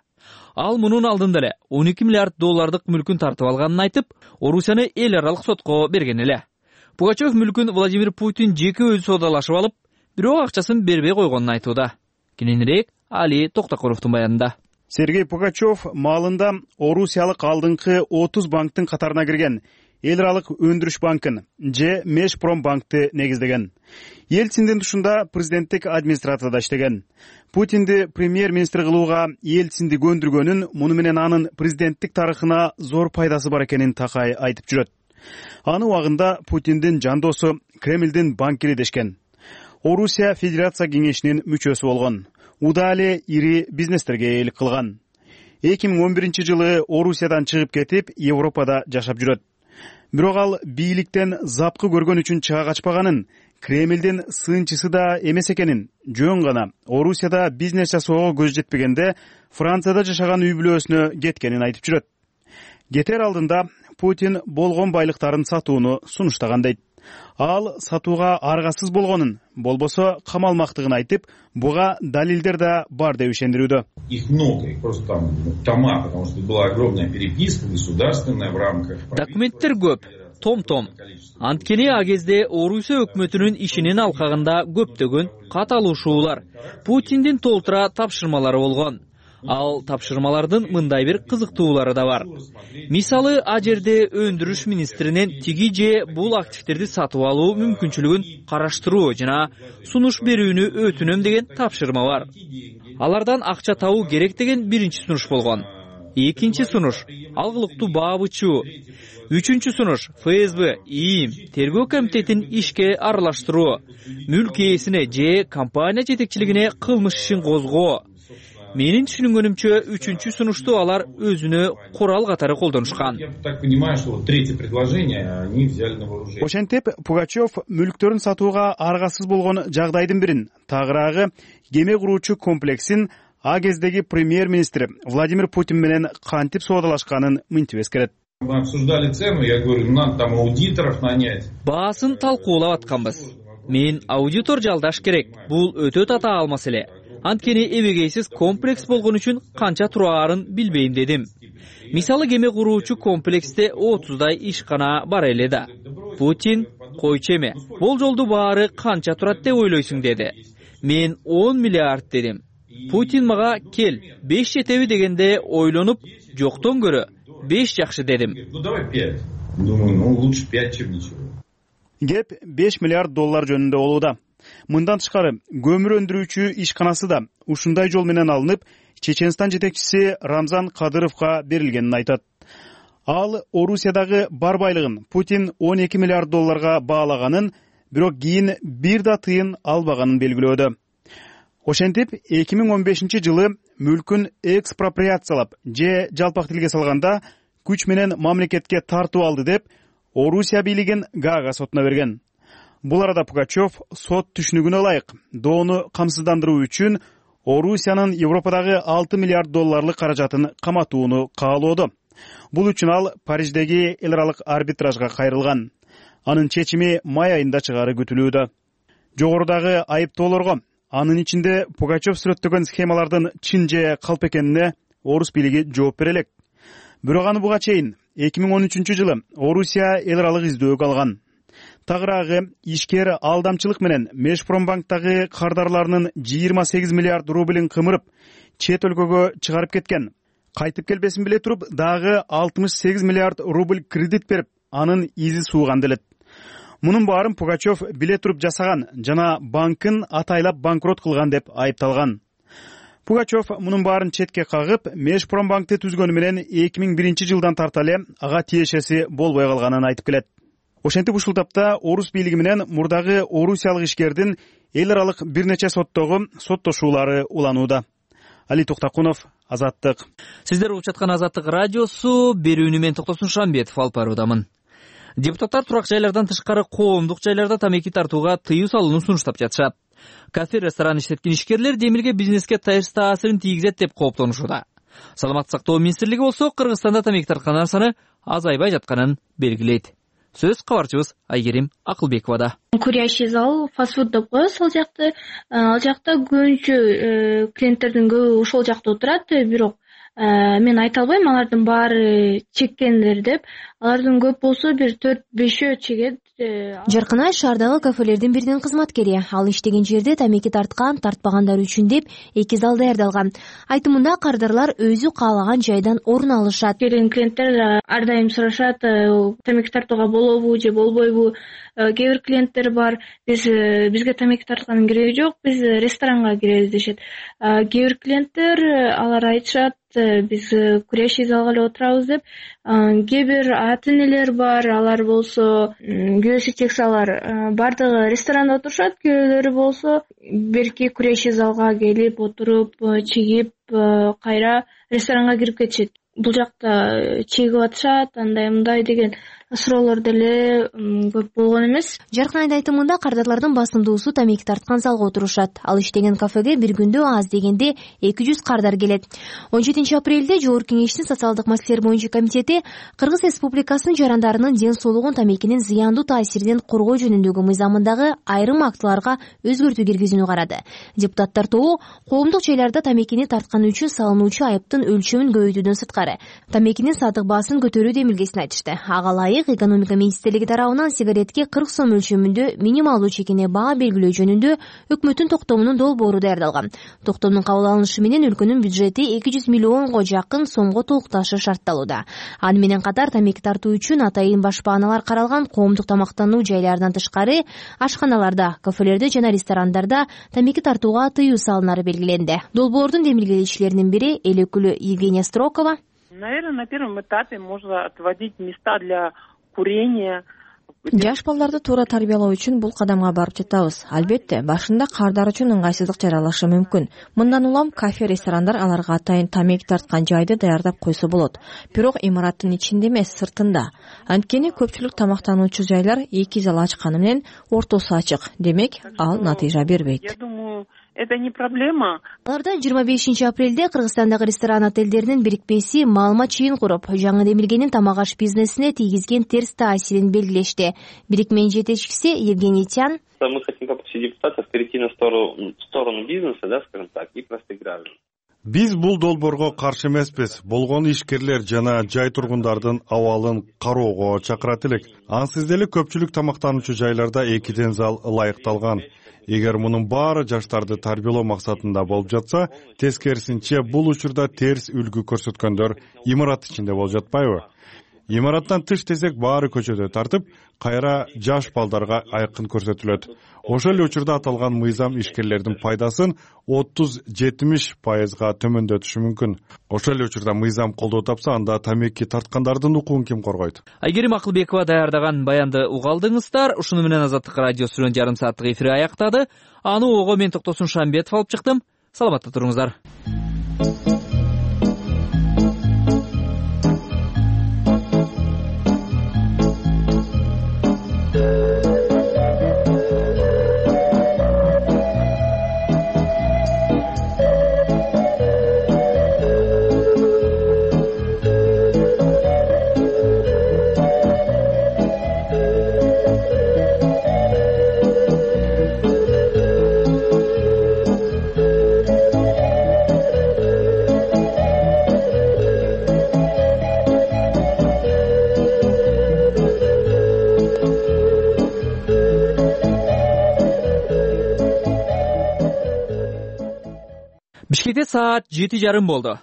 Ал мунун алдында эле он эки миллиард доллардык мүлкүн тартып алганын айтып, Орусияны эл аралык сотко берген эле. Пугачев мүлкүн Владимир Путин жеке өзү соодалашып алып, бирок акчасын бербей койгонун айтууда. Кененирээк Али Токтокуровдун баянында. Сергей Пугачев маалында Орусиялык алдыңкы отуз банктын катарына кирген. Эл аралык өндүрүш банкын же Межпромбанкты негиздеген. Ельциндин тушунда президенттик администрацияда иштеген. Путинди премьер-министр кылууга Ельцинди көндүргөнүн, муну менен анын президенттик тарыхына зор пайдасы бар экенин Такай айтып жүрөт. Аны убагында Путиндин жандосу Кремлдин банкири дешкен. Орусия Федерация кеңешинин мүчөсү болгон. Уда эле ири бизнестерге ээлик кылган. эки миң он биринчи жылы Орусиядан чыгып кетип, Европада жашап жүрөт. Бирок ал бийликтен запкы көргөн үчүн чыга качпаганын, Кремлдин сыынчысы да эмес экенин, жөн гана Орусияда бизнес жасоого көз жетпегенде Францияда жашаган үй бүлөсүнө кеткенин айтып жүрөт. Кетер алдында Путин болгон байлыктарын сатууну сунуштаган дейт. Ал сатууга аргасыз болгонун, болбосо камалмактыгын айтып, буга далилдер да бар деп ишендирүүдө. Их много, их просто там тома, потому что была огромная переписка государственная в рамках. Документтер көп, том-том. Анткени а кезде Орусия өкмөтүнүн ишинин алкагында көптөгөн каталышуулар, Путиндин толтура тапшырмалары болгон. Ал тапшырмалардын мындай бир кызыктуулары да бар. Мисалы, а жерде өндүрүш министринин тиги же бул активдерди сатып алуу мүмкүнчүлүгүн караштыруу жана сунуш берүүнү өтүнөм деген тапшырма бар. Алардан акча табуу керек деген биринчи сунуш болгон. Экинчи сунуш алгылыктуу баабычуу. Үчүнчү сунуш ФСБ, ИИМ, тергөө комитетин ишке аралаштыруу, мүлк ээсине же компания жетекчилигине кылмыш ишин козгоо. Менин түшүнгөнүмчө үчүнчү сунушту алар өзүнө курал катары колдонушкан. Ошентип, Пугачев мүлктөрүн сатууга аргасыз болгон жагдайдын бирин, тагыраагы кеме куруучу комплексин а кездеги премьер-министр Владимир Путин менен кантип соодалашканын мынтип эскерет. Мы обсуждали цену, я говорю, надо там аудиторов нанять. Баасын талкуулап атканбыз. Мен аудитор жалдаш керек. Бул өтө татаал маселе. Анткени эбегейсиз комплекс болгон үчүн канча тураарын билбейм дедим. Мисалы, кеме куруучу комплексте отуздай ишкана бар эле да. Путин койчу эме, болжолду баары канча турат деп ойлойсуң деди. Мен он миллиард дедим. Путин мага кел, беш жетеби дегенде ойлонуп, жоктон көрө беш жакшы дедим. Ну давай пять. Думаю, ну лучше пять, чем ничего. Кеп беш миллиард доллар жөнүндө болууда. Мындан тышкары көмүр өндүрүүчү ишканасы да ушундай жол менен алынып, Чеченстан жетекчиси Рамзан Кадыровго берилгенин айтат. Ал Орусиядагы бар байлыгын Путин он эки миллиард долларга баалаганын, бирок кийин бир да тыйын албаганын белгилөөдө. Ошентип, эки миң он бешинчи жылы мүлкүн экспроприациялап же жалпак тилге салганда күч менен мамлекетке тартып алды деп Орусия бийлигин Гаага сотуна берген. Бул арада Пугачев сот түшүнүгүнө ылайык доону камсыздандыруу үчүн Орусиянын Европадагы алты миллиард долларлык каражатын каматууну каалоодо. Бул үчүн ал Париждеги эл аралык арбитражга кайрылган. Анын чечими май айында чыгаары күтүлүүдө. Жогорудагы айыптоолорго, анын ичинде Пугачев сүрөттөгөн схемалардын чын же калп экенине орус бийлиги жооп бере элек. Бирок аны буга чейин эки миң он үчүнчү жылы Орусия эл аралык издөөгө алган. Тагыраагы ишкер алдамчылык менен Межпромбанктагы кардарларынын жыйырма сегиз миллиард рублин кымырып, чет өлкөгө чыгарып кеткен. Кайтып келбесин биле туруп, дагы алтымыш сегиз миллиард рубль кредит берип, анын изи сууган делет. Мунун баарын Пугачев биле туруп жасаган жана банкын атайлап банкрот кылган деп айыпталган. Пугачев мунун баарын четке кагып, Межпромбанкты түзгөнү менен эки миң биринчи жылдан тарта эле ага тиешеси болбой калганын айтып келет. Ошентип ушул тапта орус бийлиги менен мурдагы орусиялык ишкердин эл аралык бир нече соттогу соттошуулары уланууда. Али Токтакунов, Азаттык. Сиздер угуп жаткан Азаттык радиосу, берүүнү мен Токтосун Шамбетов алып баруудамын. Депутаттар турак жайлардан тышкары коомдук жайларда тамеки тартууга тыюу салууну сунуштап жатышат. Кафе, ресторан иштеткен ишкерлер демилге бизнеске терс таасирин тийгизет деп кооптонушууда. Саламаттык сактоо министрлиги болсо Кыргызстанда тамеки тарткандар саны азайбай жатканын белгилейт. Сөз кабарчыбыз Айгерим Акылбековада. Курящий зал, фастфуд деп коебуз ал жакта. Ал жакта көбүнчө клиенттердин көбү ошол жакта отурат, бирок мен айта албайм алардын баары чеккендер деп. Алардын көп болсо бир төрт бешөө чегет. Жаркынай шаардагы кафелердин биринин кызматкери. Ал иштеген жерде тамеки тарткан, тартпагандар үчүн деп эки зал даярдалган. Айтымында кардарлар өзү каалаган жайдан орун алышат. Келген клиенттер ар дайым сурашат, тамеки тартууга болобу же болбойбу. Кээ бир клиенттер бар, биз бизге тамеки тарткандын кереги жок, биз ресторанга киребиз дешет. Кээ бир клиенттер алар айтышат, биз курящий залга эле отурабыз деп. Кээ бир ата энелер бар, алар болсо көөсү чексе алар бардыгы ресторанда отурушат, көөөлөрү болсо берки курящий залга келип отуруп, чегип, кайра ресторанга кирип кетишет. Бул жакта чегип атышат, андай мындай деген суроолор деле көп болгон эмес. Жаркынайдын айтымында кардарлардын басымдуусу тамеки тарткан залга отурушат. Ал иштеген кафеге бир күндө аз дегенде эки жүз кардар келет. он жетинчи апрелде Жогорку Кеңештин социалдык маселелер боюнча комитети Кыргыз Республикасынын жарандарынын ден соолугун тамекинин зыяндуу таасиринен коргоо жөнүндөгү мыйзамындагы айрым актыларга өзгөртүү киргизүүнү карады. Депутаттар тобу коомдук жайларда тамекини тартканы үчүн салынуучу айыптын өлчөмүн көбөйтүүдөн сырткары тамекинин сатык баасын көтөрүү демилгесин айтышты. Ага ылайык экономика министрлиги тарабынан сигаретке кырк сом өлчөмүндө минималдуу чекине баа белгилөө жөнүндө өкмөттүн токтомунун долбоору даярдалган. Токтомдун кабыл алынышы менен өлкөнүн бюджети эки жүз миллионго жакын сомго толукташы шартталууда. Аны менен катар тамеки тартуу үчүн атайын башпааналар каралган. Коомдук тамактануу жайларынан тышкары ашканаларда, кафелерде жана ресторандарда тамеки тартууга тыюу салынары белгиленди. Долбоордун демилгелечилеринин бири эл өкүлү Евгения Строкова. Наверное, на первом этапе можно отводить места для курения. Жаш балдарды туура тарбиялоо үчүн бул кадамга барып жатабыз. Албетте, башында кардар үчүн ыңгайсыздык жаралышы мүмкүн. Мындан улам кафе, ресторандар аларга атайын тамеки тарткан жайды даярдап койсо болот. Бирок имараттын ичинде эмес, сыртында. Анткени көпчүлүк тамактануучу жайлар эки зал ачканы менен ортосу ачык. Демек, ал натыйжа бербейт. Я думаю, это не проблема. Аларда жыйырма бешинчи апрелде Кыргызстандагы ресторан отелдеринин бирикпеси маалымат чыйын куруп, жаңы демилгенин тамак аш бизнесине тийгизген терс таасирин белгилешти. Бирикменин жетекчиси Евгений Тян. Мы хотим попросить депутатов перейти на сторону, сторону бизнеса, да, скажем так, и простых граждан. Биз бул долбоорго каршы эмеспиз. Болгон ишкерлер жана жай тургундардын абалын кароого чакырат элек. Ансыз деле көпчүлүк тамактануучу жайларда экиден зал ылайыкталган. Эгер мунун баары жаштарды тарбиялоо максатында болуп жатса, тескерисинче бул учурда терс үлгү көрсөткөндөр имарат ичинде болуп жатпайбы? Имараттан тыш десек баары көчөдө тартып, кайра жаш балдарга айкын көрсөтүлөт. Ошол эле учурда аталган мыйзам ишкерлердин пайдасын отуз жетимиш пайызга төмөндөтүшү мүмкүн. Ошол эле учурда мыйзам колдоо тапса, анда тамеки тарткандардын укугун ким коргойт? Айгерим Акылбекова даярдаган баянды угалдыңыздар. Ушуну менен Азаттык радиосунун жарым сааттык эфири аяктады. Аны ого мен Токтосун Шамбетов алып чыктым. Саламатта туруңуздар. Бишкекте саат жети жарым болду.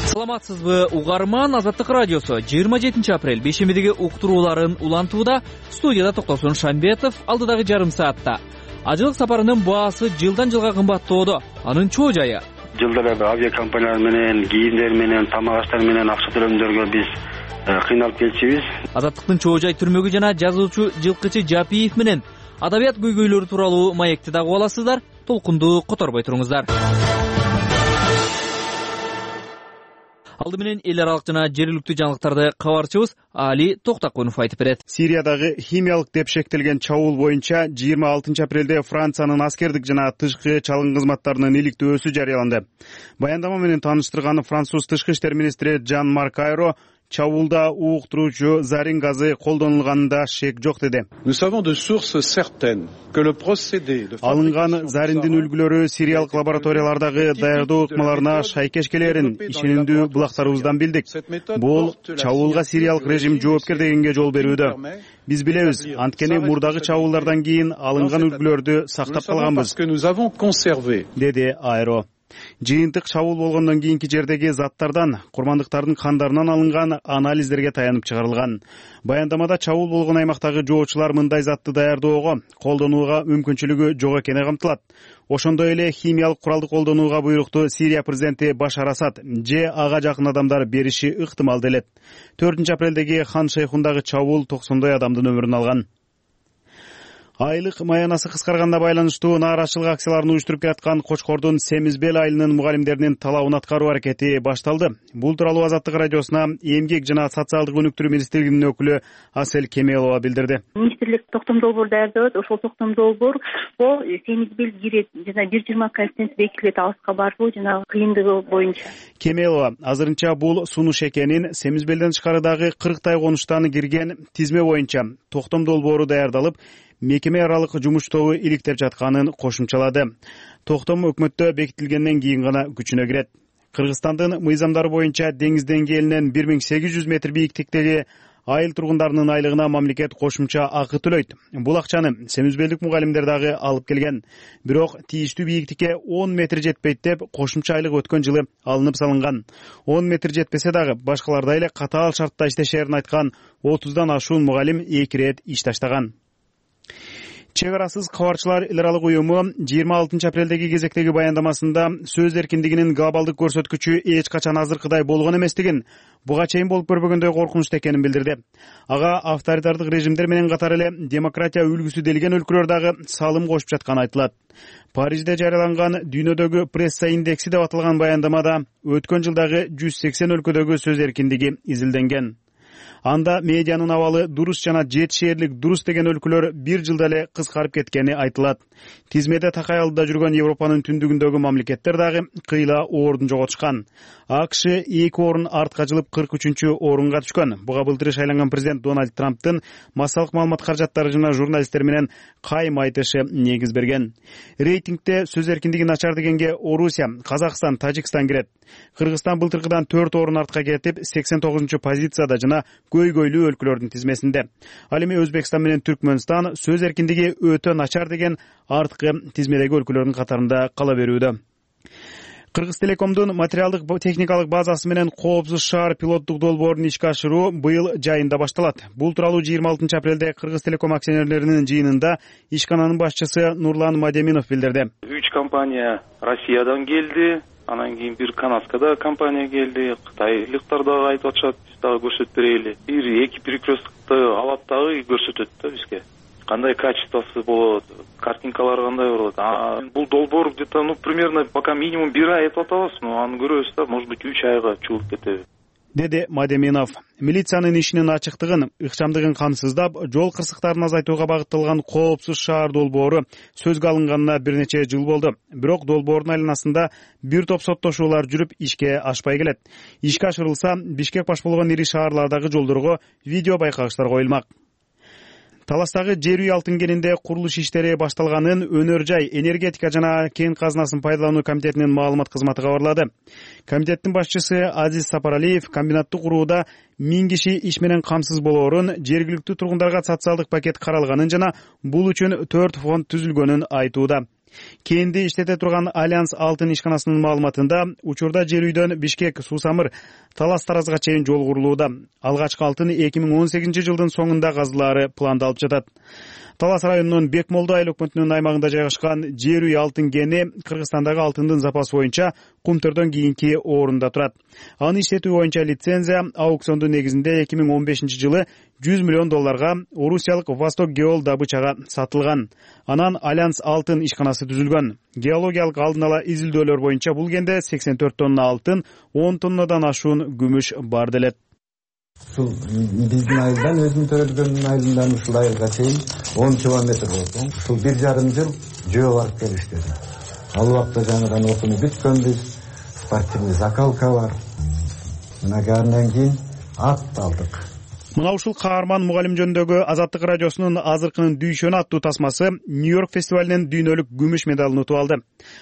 Саламатсызбы угарман, Азаттык радиосу жыйырма жетинчи апрель бейшембидеги уктурууларын улантууда. Студияда Токтосун Шамбетов. Алдыдагы жарым саатта ажылык сапарынын баасы жылдан жылга кымбаттоодо. Анын чоо жайы жылдары авиакомпаниялар менен, кийимдер менен, тамак аштар менен акча төлөмдөргө биз кыйналып келчүбүз. Азаттыктын чоо жай түрмөгү жана жазуучу Жылкычы Жапиев менен адабият көйгөйлөрү тууралуу маекти дагы аласыздар. Толкунду которбой туруңуздар. Алды менен эл аралык жана жергиликтүү жаңылыктарды кабарчыбыз Али Токтакунов айтып берет. Сириядагы химиялык деп шектелген чабуул боюнча жыйырма алтынчы апрелде Франциянын аскердик жана тышкы чалгын кызматтарынын иликтөөсү жарыяланды. Баяндама менен тааныштырган француз тышкы иштер министри Жан-Марк Айро чабуулда ууктуруучу зарин газы колдонулганында шек жок деди. Алынган зариндин үлгүлөрү сириялык лабораториялардагы даярдоо ыкмаларына шайкеш келерин ишенимдүү булактарыбыздан билдик. Бул чабуулга сириялык режим жоопкер дегенге жол берүүдө. Биз билебиз, анткени мурдагы чабуулдардан кийин алынган үлгүлөрдү сактап калганбыз, деди Айро. Жыйынтык чабуул болгондон кийинки жердеги заттардан курмандыктардын кандарынан алынган анализдерге таянып чыгарылган. Баяндамада чабуул болгон аймактагы жоочулар мындай затты даярдоого, колдонууга мүмкүнчүлүгү жок экени камтылат. Ошондой эле химиялык куралды колдонууга буйрукту Сирия президенти Башар Асад же ага жакын адамдар бериши ыктымал делет. төртүнчү апрелдеги Хан Шейхундагы чабуул токсондой адамдын өмүрүн алган. Айлык маянасы кыскарганга байланыштуу нааразычылык акцияларын уюштуруп келаткан Кочкордун Семизбел айылынын мугалимдеринин талабын аткаруу аракети башталды. Бул тууралуу Азаттык радиосуна эмгек жана социалдык өнүктүрүү министрлигинин өкүлү Асель Кемелова билдирди. Министрлик токтом долбоор даярдап, ошол токтом долбоор бул Семизбел кирет жана бир жыйырма коэффициент бекитилет алыска барбоо жана кыйындыгы боюнча. Кемелова азырынча бул сунуш экенин, Семизбелден тышкарыдагы кырктай конуштан кирген тизме боюнча токтом долбоору даярдалып, мекеме аралык жумуш тобу иликтеп жатканын кошумчалады. Токтом өкмөттө бекитилгенден кийин гана күчүнө кирет. Кыргызстандын мыйзамдары боюнча деңиз деңгээлинен бир миң сегиз жүз метр бийиктиктеги айыл тургундарынын айлыгына мамлекет кошумча акы төлөйт. Бул акчаны семизбелдик мугалимдер дагы алып келген. Бирок тийиштүү бийиктикке он метр жетпейт деп кошумча айлык өткөн жылы алынып салынган. он метр жетпесе дагы башкалардай эле катаал шартта иштешерин айткан отуздан ашуун мугалим эки ирет иш таштаган. Чек арасыз кабарчылар эл аралык уюму жыйырма алтынчы апрелдеги кезектеги баяндамасында сөз эркиндигинин глобалдык көрсөткүчү эч качан азыркыдай болгон эместигин, буга чейин болуп көрбөгөндөй коркунучтуу экенин билдирди. Ага авторитардык режимдер менен катар эле демократия үлгүсү делген өлкөлөр дагы салым кошуп жатканы айтылат. Парижде жарыяланган дүйнөдөгү пресса индекси деп аталган баяндамада өткөн жылдагы жүз сексен өлкөдөгү сөз эркиндиги изилденген. Анда медианын абалы дурус жана жетишээрлик дурус деген өлкөлөр бир жылда эле кыскарып кеткени айтылат. Тизмеде такай алдыда жүргөн Европанын түндүгүндөгү мамлекеттер дагы кыйла ордун жоготушкан. АКШ эки орун артка жылып кырк үчүнчү орунга түшкөн. Буга былтыр шайланган президент Дональд Трамптын массалык маалымат каражаттары жана журналисттер менен кайым айтышы негиз берген. Рейтингде сөз эркиндиги начар дегенге Орусия, Казакстан, Тажикстан кирет. Кыргызстан былтыркыдан төрт орун артка кетип, сексен тогузунчу позицияда жана көйгөйлүү өлкөлөрдүн тизмесинде. Ал эми Өзбекстан менен Түркмөнстан сөз эркиндиги өтө начар деген арткы тизмедеги өлкөлөрдүн катарында кала берүүдө. Кыргыз Телекомдун материалдык техникалык базасы менен коопсуз шаар пилоттук долбоорун ишке ашыруу быйыл жайында башталат. Бул тууралуу жыйырма алтынчы апрелде Кыргыз Телеком акционерлеринин жыйынында ишкананын башчысы Нурлан Мадеминов билдирди. Үч компания Россиядан келди, анан кийин бир канадскада компания келди, кытайлыктар дагы айтып атышат, биз дагы көрсөтүп берели. Бир эки перекресткты алат дагы көрсөтөт да бизге. Кандай качествосы болот, картинкалар кандай болот. Бул долбоор где-то, ну, примерно пока минимум бир ай этип атабыз, но аны көрөбүз да, может быть, үч айга чыгып кетеби, деди Мадеминов. Милициянын ишинин ачыктыгын, ыкчамдыгын камсыздап, жол кырсыктарын азайтууга багытталган коопсуз шаар долбоору сөзгө алынганына бир нече жыл болду. Бирок долбоордун айланасында бир топ соттошуулар жүрүп ишке ашпай келет. Ишке ашырылса, Бишкек баш болгон ири шаарлардагы жолдорго видео байкагычтар коюлмак. Таластагы жер үй алтын кенинде курулуш иштери башталганын Өнөр жай, энергетика жана кен казынасын пайдалануу комитетинин маалымат кызматы кабарлады. Комитеттин башчысы Азиз Сапаралиев комбинатты курууда миң киши иш менен камсыз болоорун, жергиликтүү тургундарга социалдык пакет каралганын жана бул үчүн төрт фонд түзүлгөнүн айтууда. Кенди иштете турган Альянс алтын ишканасынын маалыматында учурда жер үйдөн Бишкек, Суу-Самыр, Талас Таразга чейин жол курулууда. Алгачкы алтын эки миң он сегизинчи жылдын соңунда казылаары пландалып жатат. Талас районунун Бекмолду айыл өкмөтүнүн аймагында жайгашкан жер үй алтын кени Кыргызстандагы алтындын запасы боюнча Кумтөрдөн кийинки орунда турат. Аны иштетүү боюнча лицензия аукциондун негизинде эки миң он бешинчи жылы жүз миллион долларга орусиялык Восток Геол добычага сатылган. Анан Альянс алтын ишканасы түзүлгөн. Геологиялык алдын ала изилдөөлөр боюнча бул кенде сексен төрт тонна алтын, он тоннадан ашуун күмүш бар делет. Ушул биздин айылдан өзүм төрөлгөн айылдан ушул айылга чейин он километр болду. Ушул бир жарым жыл жөө барып келиштеди. Ал убакта жаңыдан окууну бүткөнбүз, спортивный закалка бар. Мына андан кийин ат алдык. Мына ушул каарман мугалим жөнүндөгү Азаттык радиосунун азыркынын дүйшөнү аттуу тасмасы Нью-Йорк фестивалинин дүйнөлүк күмүш медалын утуп алды.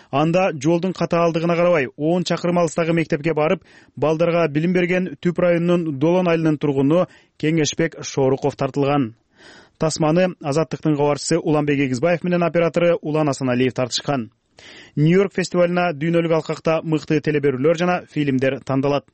Анда жолдун катаалдыгына карабай он чакырым алыстагы мектепке барып, балдарга билим берген Түп районунун Долон айылынын тургуну Кеңешбек Шоруков тартылган. Тасманы Азаттыктын кабарчысы Уланбек Эгизбаев менен оператору Улан Асаналиев тартышкан. Нью-Йорк фестивалына дүйнөлүк алкакта мыкты телеберүүлөр жана фильмдер тандалат.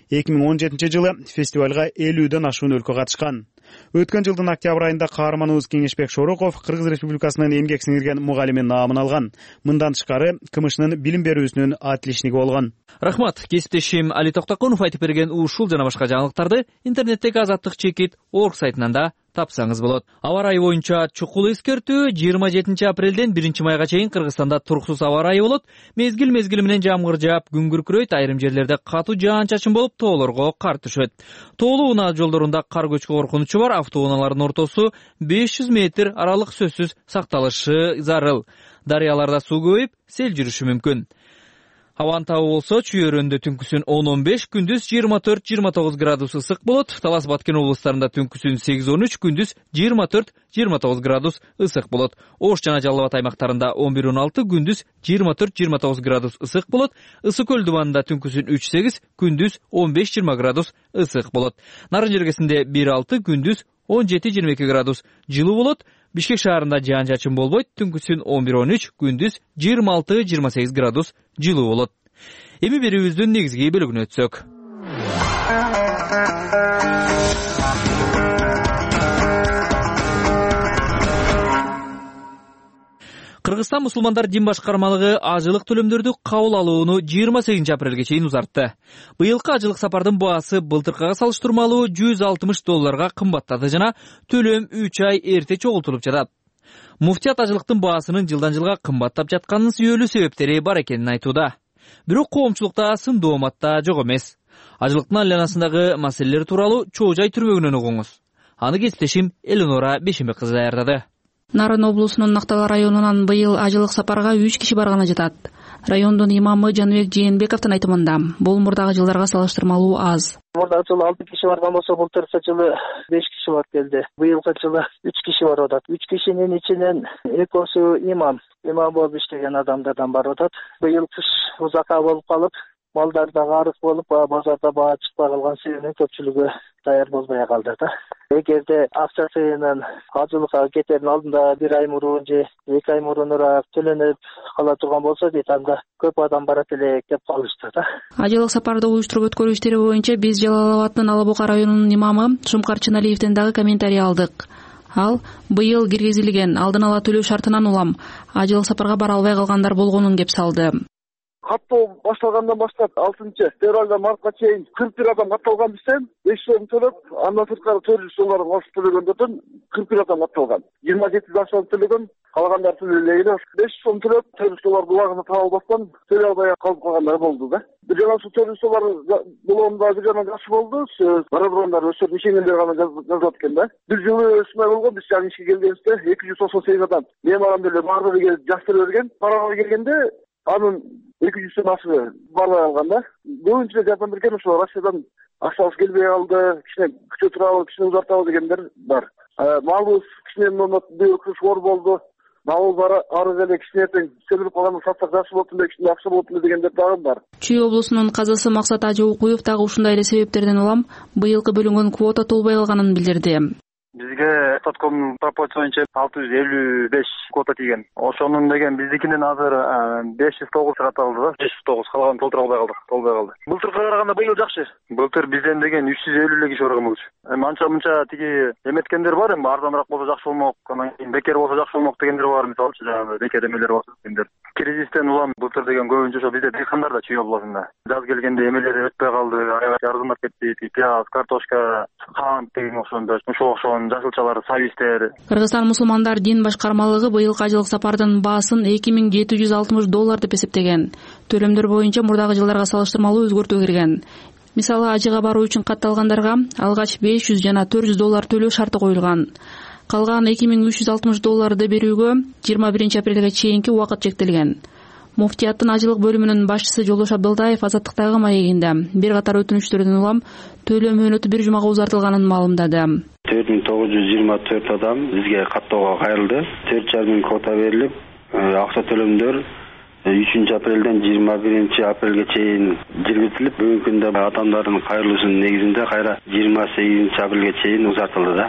эки миң он жетинчи жылы фестивалга элүүдөн ашуун өлкө катышкан. Өткөн жылдын октябрь айында каарманыбыз Кеңешбек Шоруков Кыргыз Республикасынын эмгек сиңирген мугалими наамын алган. Мындан тышкары КМШнын билим берүүсүнүн отличниги болгон. Рахмат, кесиптешим Али Токтокунов айтып берген ушул жана башка жаңылыктарды интернеттеги Азаттык чекит орг сайтынан да тапсаңыз болот. Аба ырайы боюнча чукул эскертүү жыйырма жетинчи апрелден биринчи майга чейин Кыргызстанда туруксуз аба ырайы болот. Мезгил мезгили менен жамгыр жаап, күн күркүрөйт, айрым жерлерде катуу жаан-чачын болуп, тоолорго кар түшөт. Тоолуу унаа жолдорунда кар көчкү коркунучу бар, автоунаалардын ортосу беш жүз метр аралык сөзсүз сакталышы зарыл. Дарыяларда суу көбөйүп, сел жүрүшү мүмкүн. Абанын табы болсо Чүйөрөндө түнкүсүн он он беш, күндүз жыйырма төрт жыйырма тогуз градус ысык болот. Талас Баткен облустарында түнкүсүн сегиз он үч, күндүз жыйырма төрт жыйырма тогуз градус ысык болот. Ош жана Жалал Абад аймактарында он бир он алты, күндүз жыйырма төрт жыйырма тогуз градус ысык болот. Ысык көл дубанында түнкүсүн үч сегиз, күндүз он беш жыйырма градус ысык болот. Нарын жергесинде бир алты, күндүз он жети жыйырма эки градус жылуу болот. Бишкек шаарында жаан-чачын болбойт, түнкүсүн он бир он үч, күндүз жыйырма алты жыйырма сегиз градус жылуу болот. Эми берүүбүздүн негизги бөлүгүнө өтсөк. Кыргызстан мусулмандар дин башкармалыгы ажылык төлөмдөрдү кабыл алууну жыйырма сегизинчи апрелге чейин узартты. Быйылкы ажылык сапардын баасы былтыркыга салыштырмалуу жүз алтымыш долларга кымбаттады жана төлөм үч ай эрте чогултулуп жатат. Муфтият ажылыктын баасынын жылдан жылга кымбаттап жатканынын сүйөлүү себептери бар экенин айтууда. Бирок коомчулукта сын дооматта жок эмес. Ажылыктын айланасындагы маселелер тууралуу чоо жай түрмөгүнөн угуңуз. Аны кесиптешим Эленора Бешенбек кызы даярдады. Нарын облусунун Нактала районунан быйыл ажылык сапарга үч киши барганы жатат. Райондун имамы Жаныбек Жээнбековдун айтымында бул мурдагы жылдарга салыштырмалуу аз. Мурдагы жылы алты киши барган болсо, былтыркы жылы беш киши барып келди. Быйылкы жылы үч киши барып атат. үч кишинин ичинен экөөсү имам, имам болуп иштеген адамдардан барып атат. Быйыл кыш узакка болуп калып, малдар дагы арык болуп, базарда баа чыкпай калган себебинен көпчүлүгү даяр болбой калды да. Эгерде акчасынын ажылыкка кетердин алдында бир ай мурун же эки ай мурунураак төлөнүп кала турган болсо дейт, анда көп адам барат элек деп калышты да. Ажылык сапарды уюштуруп өткөрүү иштери боюнча биз Жалал Абадтын Ала Бука районунун имамы Шумкар Чыналиевден дагы комментарий алдык. Ал быйыл киргизилген алдын ала төлөө шартынан улам ажылык сапарга бара албай калгандар болгонун кеп салды. Каттоо башталгандан баштап алтынчы февралдан мартка чейин кырк бир адам катталган бизден, беш сом төлөп, андан сырткары төрт жүз доллар кошуп төлөгөндөрдөн кырк бир адам катталган. жыйырма жети сом төлөгөн, калгандар төлөбөй эле. беш сом төлөп, төрт жүз доллар булагына таба албастан төлөй албай калып калгандар болду да. Бир жана ушул төрт жүз доллар булоомда бир жана жакшы болду. Бара тургандар өсөп ишенгендер гана жазылат экен да. Бир жылы өсмөй болгон, биз жаңы ишке келгенибизде эки жүз токсон сегиз адам меморандум эле баардыгы келип жаш төлөп берген. Парага келгенде анын эки жүздөн ашыгы барбай калган да. Көбүнчө жардам берген ошо Россиядан акчабыз келбей калды, кичине күтө турабы, кичине узартабы дегендер бар. Малыбыз кичине оор болду. Малыбыз ары эле кичине эртең сөмүрүп калганда сатсак жакшы болот эле, кичине акча болот эле дегендер дагы бар. Чүй облусунун казысы Максат Ажыукуев дагы ушундай эле себептерден улам быйылкы бөлүнгөн квота толбой калганын билдирди. Бизге Тотком пропорция боюнча алты жүз элүү беш квота тийген. Ошонун деген биздикинен азыр беш жүз тогуз каталды да. беш жүз тогуз калганын толтура албай калдык, толбой калды. Былтыркыга караганда быйыл жакшы. Былтыр бизден деген үч жүз элүү эле киши барган болчу. Эми анча мынча тиги эметкендер бар, эми арзаныраак болсо жакшы болмок, анан кийин бекер болсо жакшы болмок дегендер бар, мисалчы жанагы бекер эмелер бар дегендер. Кризистен улам былтыр деген көбүнчө ошо бизде дыйкандар да Чүй областында. Жаз келгенде эмелери өтпөй калды, аябай арзандап кетти, пияз, картошка, кант деген ошондой, ошо ошон жасылчалар, сабистер. Кыргызстан мусулмандар дин башкармалыгы быйылкы ажылык сапардын баасын эки миң жети жүз алтымыш доллар деп эсептеген. Төлөмдөр боюнча мурдагы жылдарга салыштырмалуу өзгөртүү кирген. Мисалы, ажыга баруу үчүн катталгандарга алгач беш жүз жана төрт жүз доллар төлөө шарты коюлган. Калган эки миң үч жүз алтымыш долларды берүүгө жыйырма биринчи апрелге чейинки убакыт чектелген. Муфтияттын ажылык бөлүмүнүн башчысы Жолдош Абдылдаев Азаттыктагы маегинде бир катар өтүнүчтөрдөн улам төлөө мөөнөтү бир жумага узартылганын маалымдады. төрт миң тогуз жүз жыйырма төрт адам бизге каттоого кайрылды. төрт жарым миң квота берилип, акча төлөмдөр үчүнчү апрелден жыйырма биринчи апрелге чейин жүргүзүлүп, бүгүнкү күндө адамдардын кайрылуусунун негизинде кайра жыйырма сегизинчи апрелге чейин узартылды да.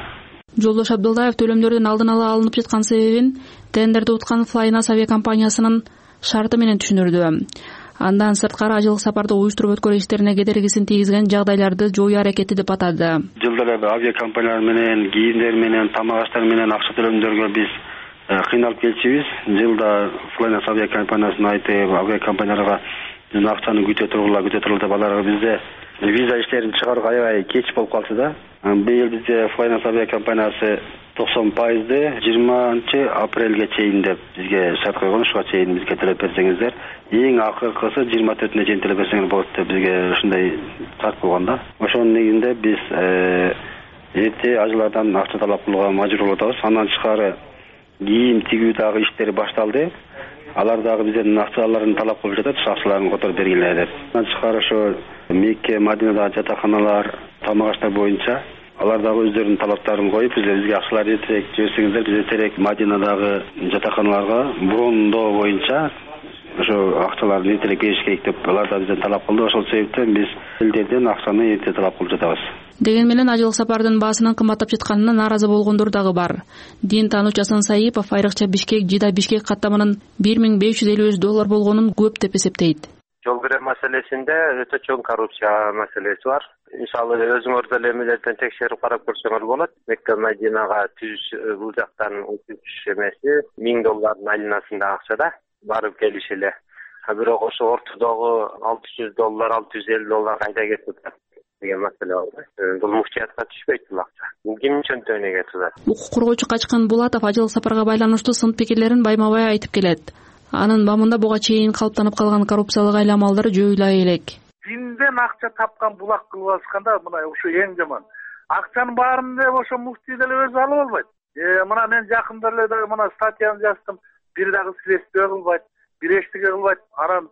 Жолдош Абдылдаев төлөмдөрдүн алдын ала алынып жаткан себебин тендерди уткан Flynas авиакомпаниясынын шарты менен түшүндүрдү. Андан сырткары ажылык сапарды уюштуруп өткөрүү иштерине кедергисин тийгизген жагдайларды жоюу аракети деп атады. Жылда эле авиакомпаниялар менен, кийимдер менен, тамак аштар менен акча төлөмдөргө биз кыйналып келчүбүз. Жылда Flynas авиакомпаниясына айтып, авиакомпанияларга биздин акчаны күтө тургула, күтө тургула деп аларга бизде виза иштерин чыгарууга аябай кеч болуп калчу да. Быйыл бизде Flynas авиакомпаниясы токсон пайызды жыйырманчы апрелге чейин деп бизге шарт койгон, ушуга чейин бизге төлөп берсеңиздер, эң акыркысы жыйырма төртүнө чейин төлөп берсеңиз болот деп бизге ушундай шарт койгон да. Ошонун негизинде биз эрте ажылардан акча талап кылууга мажбур болуп атабыз. Андан тышкары кийим тигүү дагы иштери башталды. Алар дагы бизден акчаларын талап кылып жатат, акчаларын которуп бергиле деп. Андан тышкары ошо Мекке, Мадинадагы жатаканалар, тамак аштар боюнча алар дагы өздөрүнүн талаптарын коюп, бизге акчалар эртерээк жиберсеңиздер, биз эртерээк Мадинадагы жатаканаларга брондоо боюнча ошо акчаларды эртерээк бериш керек деп алар да бизден талап кылды. Ошол себептен биз элдерден акчаны эрте талап кылып жатабыз. Деген менен ажылык сапардын баасынын кымбаттап жатканына нааразы болгондор дагы бар. Дин таануучу Асан Саипов айрыкча Бишкек Жида Бишкек каттамынын бир миң беш жүз элүү беш доллар болгонун көп деп эсептейт. Жол кирүү маселесинде өтө чоң коррупция маселеси бар. Мисалы өзүңөр деле эмелерден текшерип карап көрсөңөр болот. Мекке Мадинага түз бул жактан утуш эмеси миң доллардын айланасында акчада барып келиш эле. А бирок ошо ортодогу алты жүз доллар, алты жүз элүү доллар кайда кетип атат деген маселе бар. Бул муфтиятка түшпөйт бул акча. Бул кимдин чөнтөгүнө кетип атат. Укук коргоочу Качкын Булатов ажылык сапарга байланыштуу сын пикирлерин байма-бай айтып келет. Анын бамында буга чейин калыптанып калган коррупциялык айламалдар жоюла элек. Динден акча тапкан булак кылып алышканда мына ушу эң жаман. Акчанын баарын деп ошо муфтий деле өзү алып албайт. Э мына мен жакында эле дагы мына статьяны жаздым. Бир дагы следствие кылбайт, бир эчтеке кылбайт. Анан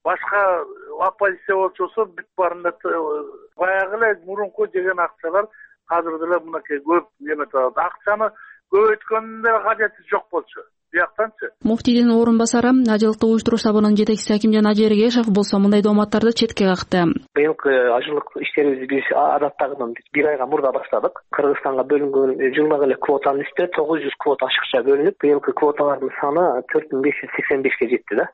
башка оппозиция болчусу бүт баарында баягы эле мурунку жеген акчалар азыр деле мынакей көп эметип атат. Акчаны көбөйткөндүн деле кажети жок болчу. Бияктанчы. Муфтийдин орун басары ажылыкты уюштуруу штабынын жетекчиси Акимжан Ажергешев болсо мындай дооматтарды четке какты. Быйылкы ажылык иштерибизди биз адаттагыдан бир айга мурда баштадык. Кыргызстанга бөлүнгөн жылдагы эле квотанын үстүнө тогуз жүз квота ашыкча бөлүнүп, быйылкы квоталардын саны төрт миң беш жүз сексен бешке жетти да.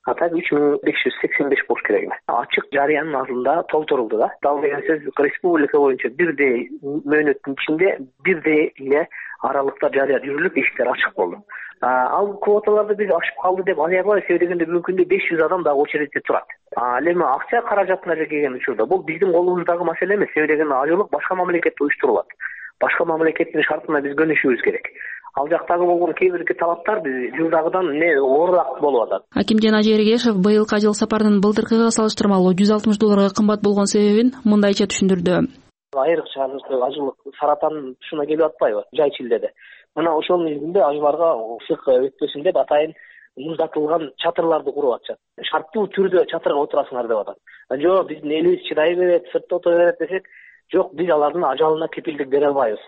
А так үч миң беш жүз сексен беш болуш керек. Ачык жарыянын алдында толтурулду да. Дал деген сөз республика боюнча бирдей мөөнөттүн ичинде бирдей эле аралыкта жарыя жүрүлүп, эшиктер ачык болду. Ал квоталарды биз ашып калды деп аябай себебинде бүгүнкү күндө беш жүз адам дагы очередте турат. Ал эми акча каражатына келген учурда бул биздин колубуздагы маселе эмес. Себебинде ажылык башка мамлекетте уюштурулат. Башка мамлекеттин шартына биз көнүшүбүз керек. Ал жактагы болгон кээ бир талаптар биз жылдагыдан не оорураак болуп атат. Акимжан Ажергешев быйылкы ажылык сапардын былтыркыга салыштырмалуу жүз алтымыш долларга кымбат болгон себебин мындайча түшүндүрдү. Айрыкча ажылык Саратандын тушуна келип атпайбы? Жай Чилдеде. Мына ошонун негизинде ажыларга ысык өтпөсүн деп атайын муздатылган чатырларды куруп атышат. Шарттуу түрдө чатырга отурасыңар деп атат. Жок, биздин элибиз чыдай берет, сыртта отура берет десек, жок, биз алардын ажалына кепилдик бере албайбыз.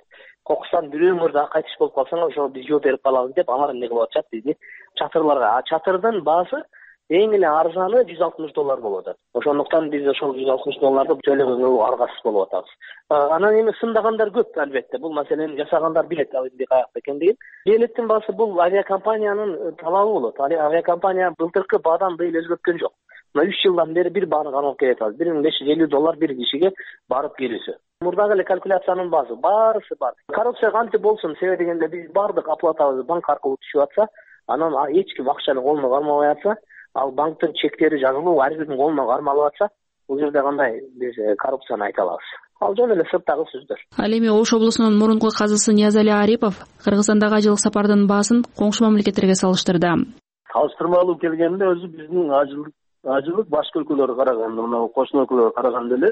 кокустан бирөөңөр дагы кайтыш болуп калсаңар ошого биз жооп берип калабыз деп алар эмне кылып атышат бизди чатырларга. А чатырдын баасы эң эле арзаны жүз алтымыш доллар болуп атат. Ошондуктан биз ошол жүз алтымыш долларды төлөгөнгө аргасыз болуп атабыз. Анан эми сындагандар көп албетте. Бул маселени жасагандар билет ал эмне каякта экендигин. Билеттин баасы бул авиакомпаниянын талабы болот. Авиакомпания былтыркы баадан быйыл өзгөрткөн жок. Мына үч жылдан бери бир бааны гана алып келет атабыз. бир миң беш жүз элүү доллар бир кишиге барып келүүсү. Мурдагы эле калькуляциянын баасы баарысы бар. Коррупция кантип болсун, себеби дегенде биз бардык оплатабыз банк аркылуу түшүп атса, анан эч ким акчаны колуна кармабай атса, ал банктын чектери жазылуу ар биринин колуна кармалып атса, бул жерде кандай биз коррупцияны айта алабыз. Ал жөн эле сырттагы сөздөр. Ал эми Ош облусунун мурунку казысы Ниязали Арипов Кыргызстандагы ажылык сапардын баасын коңшу мамлекеттерге салыштырды. Салыштырмалуу келгенде өзү биздин ажылык ажылык башка өлкөлөргө караганда, мына кошуна өлкөлөргө караганда эле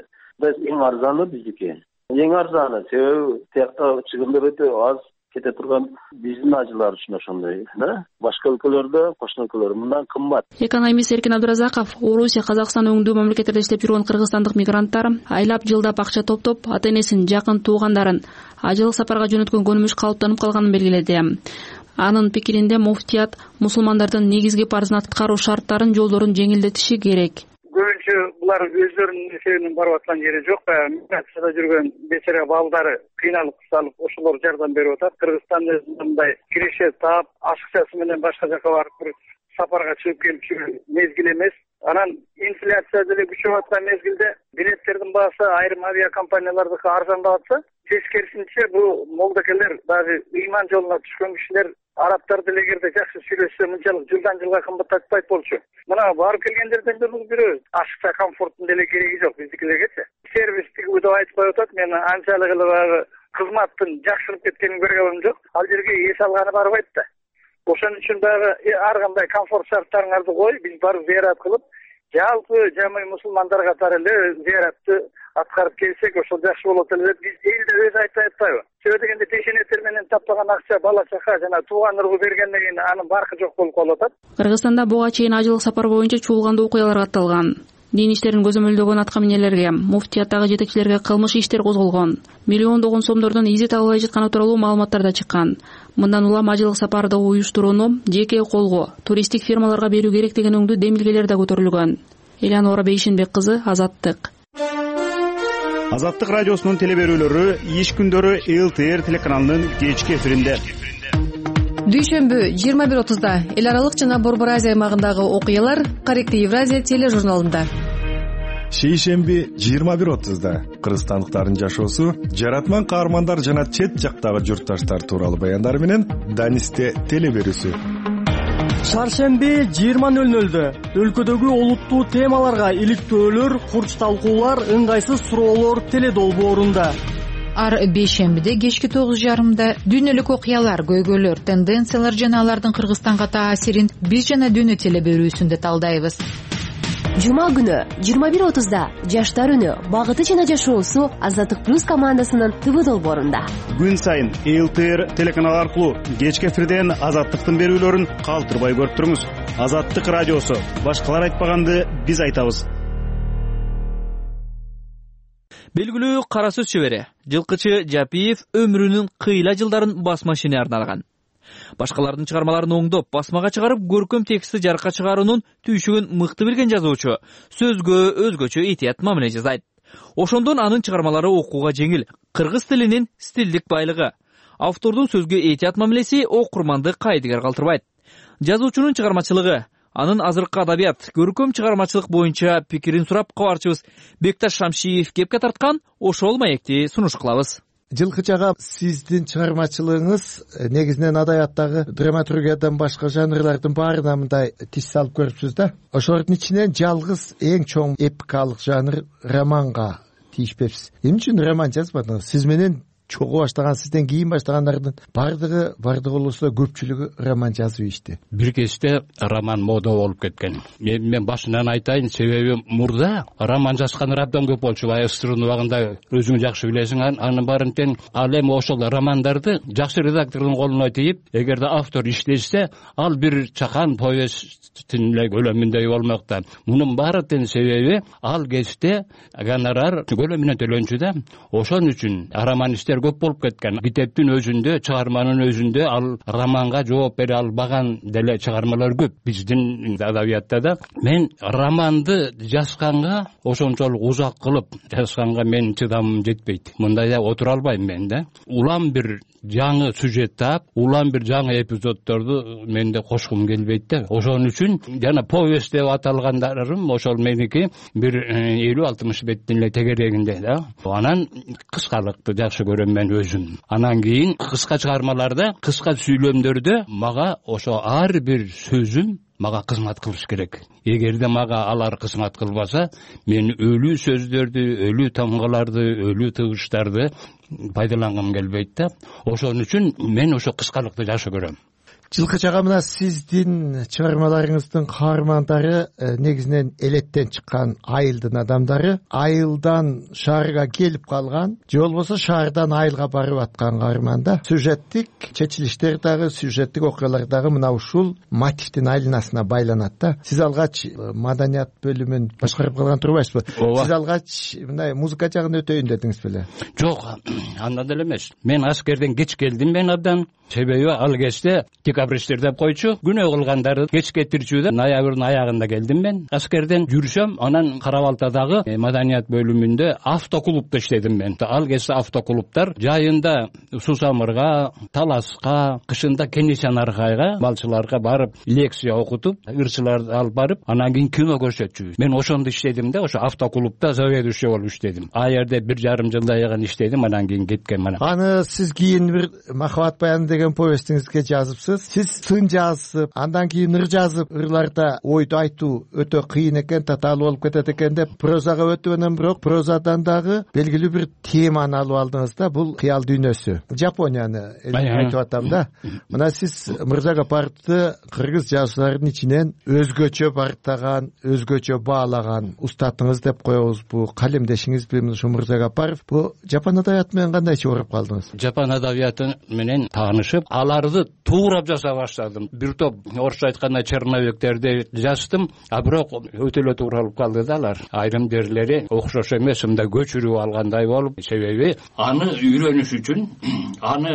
эң арзаны биздики. Эң арзаны, себеби тиякта чыгымдар өтө аз кете турган биздин ажылар үчүн ошондой, да? Башка өлкөлөрдө, кошуна өлкөлөр мындан кымбат. Экономист Эркин Абдыразаков Орусия, Казакстан өңдүү мамлекеттерде иштеп жүргөн кыргызстандык мигранттар айлап жылдап акча топтоп, ата-энесин, жакын туугандарын ажылык сапарга жөнөткөн көнүмүш калыптанып калганын белгиледи. Анын пикиринде муфтият мусулмандардын негизги парзын аткаруу шарттарын, жолдорун жеңилдетиши керек. Көбүнчө булар өздөрүнүн эсебинен барып аткан жери жок. Миграцияда жүргөн бечара балдары кыйналып кысалып ошолор жардам берип атат. Кыргызстан мындай киреше таап, ашыкчасы менен башка жака барып бир сапарга чыгып келип жүргөн мезгил эмес. Анан инфляция деле күчөп аткан мезгилде билеттердин баасы айрым авиакомпаниялардыкы арзандап атса, тескерисинче бул молдокелер, дагы ыйман жолуна түшкөн кишилер арабтар деле эгерде жакшы сүйлөшсө мынчалык жылдан жылга кымбаттатпайт болчу. Мына барып келгендерден деле бирөө ашыкча комфорттун деле кереги жок биздикилерге. Сервистик деп айтып коюп атат. Мен анчалык эле баягы кызматтын жакшырып кеткенин көргөнүм жок. Ал жерге эс алганы барбайт да. Ошон үчүн дагы ар кандай комфорт шарттарыңарды кой, биз барып зыярат кылып, жалпы жамый мусулмандар катары эле зыяратты аткарып келсек, ошол жакшы болот эле деп биз элде өзү айтпай атпайбы? Себеби дегенде пешенеттер менен таппаган акча бала чака жана тууган ургу бергенден кийин анын баркы жок болуп калып атат. Кыргызстанда буга чейин ажылык сапар боюнча чуулгандуу окуялар катталган. Дин иштерин көзөмөлдөгөн атка минелерге, муфтияттагы жетекчилерге кылмыш иштер козголгон. Миллиондогон сомдордон изет албай жатканы тууралуу маалыматтар да чыккан. Мындан улам ажылык сапарды уюштурууну жеке колго, туристтик фирмаларга берүү керек деген өңдүү демилгелер да көтөрүлгөн. Элеонора Бейшенбек кызы, Азаттык. Азаттык радиосунун телеберүүлөрү иш күндөрү эл тэ эр телеканалынын кечки эфиринде. Дүйшөмбү жыйырма бир отузда эл аралык жана Борбор Азия аймагындагы окуялар Корректив Евразия тележурналында. Шейшемби жыйырма бир отузда кыргызстандыктардын жашоосу, жаратман каармандар жана чет жактагы журтташтар тууралуу баяндар менен Данисте телеберүүсү. Шаршемби жыйырма нөл нөлдө өлкөдөгү олуттуу темаларга иликтөөлөр, курч талкуулар, ыңгайсыз суроолор теледолбоорунда. Ар бейшембиде кечки тогуз жарымда дүйнөлүк окуялар, көйгөйлөр, тенденциялар жана алардын Кыргызстанга таасирин биз жана дүйнө телеберүүсүндө талдайбыз. Жума күнү жыйырма бир отузда жаштар үнү, багыты жана жашоосу Азаттык плюс командасынын ТВ долбоорунда. Күн сайын эл тэ эр телеканалы аркылуу кечки эфирден Азаттыктын берүүлөрүн калтырбай көрүп туруңуз. Азаттык радиосу, башкалар айтпаганды биз айтабыз. Белгилүү кара сөз чебери Жылкычы Жапиев өмүрүнүн кыйла жылдарын басма ишине арналган. Башкалардын чыгармаларын оңдоп, басмага чыгарып, көркөм текстти жарыкка чыгаруунун түйшүгүн мыкты билген жазуучу сөзгө өзгөчө этият мамиле жасайт. Ошондон анын чыгармалары окууга жеңил, кыргыз тилинин стилдик байлыгы. Автордун сөзгө этият мамилеси окурманды кайдыгер калтырбайт. Жазуучунун чыгармачылыгы, анын азыркы адабият, көркөм чыгармачылык боюнча пикирин сурап, кабарчыбыз Бекташ Шамшиев кепке тарткан ошол маекти сунуш кылабыз. Жылкыч ага, сиздин чыгармачылыгыңыз негизинен адабияттагы драматургиядан башка жанрлардын баарына мындай тиш салып көрүпсүз да. Ошолордун ичинен жалгыз эң чоң эпикалык жанр романга тийишпепсиз. Эмне үчүн роман жазбадыңыз? Сиз менен чогуу баштаган, сизден кийин баштагандардын бардыгы бардыгы болсо көпчүлүгү роман жазып ийишти. Бир кезде роман мода болуп кеткен. Эми мен башынан айтайын, себеби мурда роман жазган абдан көп болчу. СССРдын убагында өзүң жакшы билесиң, анын баарын тең. Ал эми ошол романдарды жакшы редактордун колуна тийип, эгерде автор иштешсе, ал бир чакан повесттин эле көлөмүндөй болмок да. Мунун баары тең себеби ал кезде гонорар көлөмүнөн төлөнчү да. Ошон үчүн романисттер нерселер көп болуп кеткен. Китептин өзүндө, чыгарманын өзүндө ал романга жооп бере албаган деле чыгармалар көп биздин адабиятта да. Мен романды жазганга ошончолук узак кылып жазганга мен чыдамым жетпейт. Мындайда отура албайм мен да. Улам бир жаңы сюжет таап, улам бир жаңы эпизоддорду менде кошкум келбейт да. Ошон үчүн жана повесть деп аталгандарым ошол меники бир элүү алтымыш беттин эле тегерегинде да. Анан кыскалыкты жакшы көрөм мен өзүм. Анан кийин кыска чыгармаларда, кыска сүйлөмдөрдө мага ошо ар бир сөзүм мага кызмат кылыш керек. Эгерде мага алар кызмат кылбаса, мен өлүү сөздөрдү, өлүү тамгаларды, өлүү тыгыштарды пайдалангым келбейт да. Ошон үчүн мен ошо кыскалыкты жакшы көрөм. Жылкыч ага, мына сиздин чыгармаларыңыздын каармандары негизинен элеттен чыккан айылдын адамдары, айылдан шаарга келип калган же болбосо шаардан айылга барып аткан каарман да. Сюжеттик чечилиштер дагы, сюжеттик окуялар дагы мына ушул мотивдин айланасына байланат да. Сиз алгач маданият бөлүмүн башкарып калган турбайсызбы? Сиз алгач мындай музыка жагын өтөйүн дедиңиз беле? Жок, андай деле эмес. Мен аскерден кеч келдим мен абдан. Себеби ал кезде декабристтер деп койчу, күнөө кылгандарды кеч кетирчү да. Ноябрдын аягында келдим мен. Аскерден жүрсөм, анан Кара-Балтадагы маданият бөлүмүндө автоклубда иштедим мен. Ал кезде автоклубтар жайында Сусамырга, Таласка, кышында Кенесян Аркайга балчыларга барып лекция окутуп, ырчыларды алып барып, анан кийин кино көрсөтчүбүз. Мен ошондо иштедим да, ошо автоклубда заведующий болуп иштедим. А жерде бир жарым жылдай иштедим, анан кийин кеткем мына. Аны сиз кийин бир Махабат баяны деген повестиңизге жазыпсыз. Сиз сын жазып, андан кийин ыр жазып, ырларда ойду айтуу өтө кыйын экен, татаалуу болуп кетет экен деп прозага өтүп, анан бирок прозадан дагы белгилүү бир теманы алып алдыңыз да. Бул кыял дүйнөсү, Жапонияны айтып атам да. Мына сиз Мырза Гапаровду кыргыз жазуучуларынын ичинен өзгөчө барктаган, өзгөчө баалаган устатыңыз деп коебузбу, калемдешиңизби ушу Мырза Гапаров? Бул жапон адабияты менен кандай чогуруп калдыңыз? Жапон адабияты менен таанышып, аларды туурап жаза баштадым. Бир топ орусча айтканда черновиктерди жаздым, а бирок өтө эле тууралып калды да алар. Айрым жерлери окшош эмес, мындай көчүрүп алгандай болуп, себеби аны үйрөнүш үчүн, аны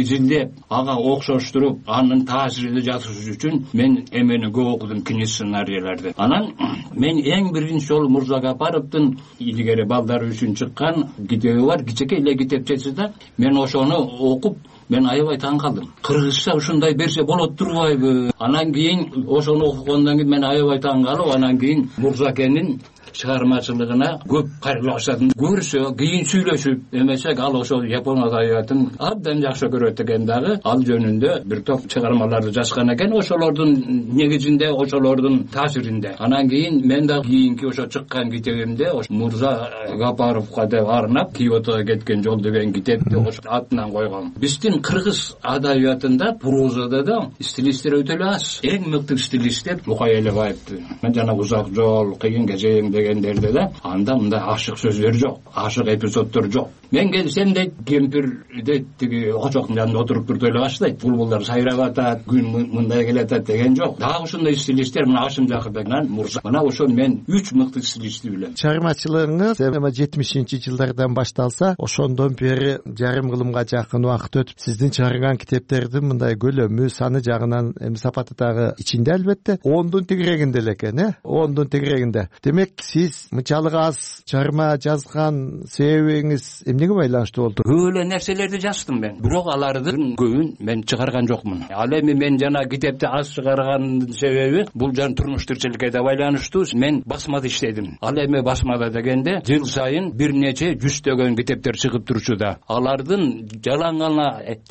изилдеп, ага окшоштуруп, анын таасиринде жазыш үчүн мен эмени көп окудум, кино сценарийлерди. Анан мен эң биринчи жолу Мырза Гапаровдун илгери балдар үчүн чыккан китеби бар, кичине эле китепчеси да. Мен ошону окуп, мен аябай таң калдым. Кыргызча ушундай берсе болот турбайбы? Анан кийин ошону окугандан кийин мен аябай таң калып, анан кийин Мурзакенин чыгармачылыгына көп кайрыла баштадым. Көрсө, кийин сүйлөшүп эмесек, ал ошол жапон адабиятын абдан жакшы көрөт экен дагы. Ал жөнүндө бир топ чыгармаларды жазган экен, ошолордун негизинде, ошолордун таасиринде. Анан кийин мен да кийинки ошо чыккан китебимде Мырза Гапаровго деп арнап Киотого кеткен жол деген китепти ошо атынан койгом. Биздин кыргыз адабиятында, прозада да стилисттер өтө эле аз. Эң мыкты стилист деп Мукай Элебаевди, мен жана Узак жол, Кыйын кезең дегендерде да анда мындай ашык сөздөр жок, ашык эпизоддор жок. Мен келсем дейт, кемпирде тиги очоктун жанында отуруп турду эле баштайт. Булбулдар сайрап атат, күн мындай келатат деген жок. Дагы ушундай стилисттер мына Ашым Жакырбекнан Мурза. Мына ошол мен үч мыкты стилистти билем. Чыгармачылыгыңыз эми жетимишинчи жылдардан башталса, ошондон бери жарым кылымга жакын убакыт өтүп, сиздин чыгарган китептердин мындай көлөмү, саны жагынан эми сапаты дагы ичинде албетте ондун тегерегинде эле экен, э? ондун тегерегинде. Демек, сиз мынчалык аз чыгарма жазган себебиңиз эмнеге байланыштуу болду? Көп эле нерселерди жаздым мен, бирок алардын көбүн мен чыгарган жокмун. Ал эми мен жана китепти аз чыгаргандын себеби бул жан турмуш тирчиликке да байланыштуу. Мен басмада иштедим. Ал эми басмада дегенде жыл сайын бир нече жүздөгөн китептер чыгып турчу да. Алардын жалаң гана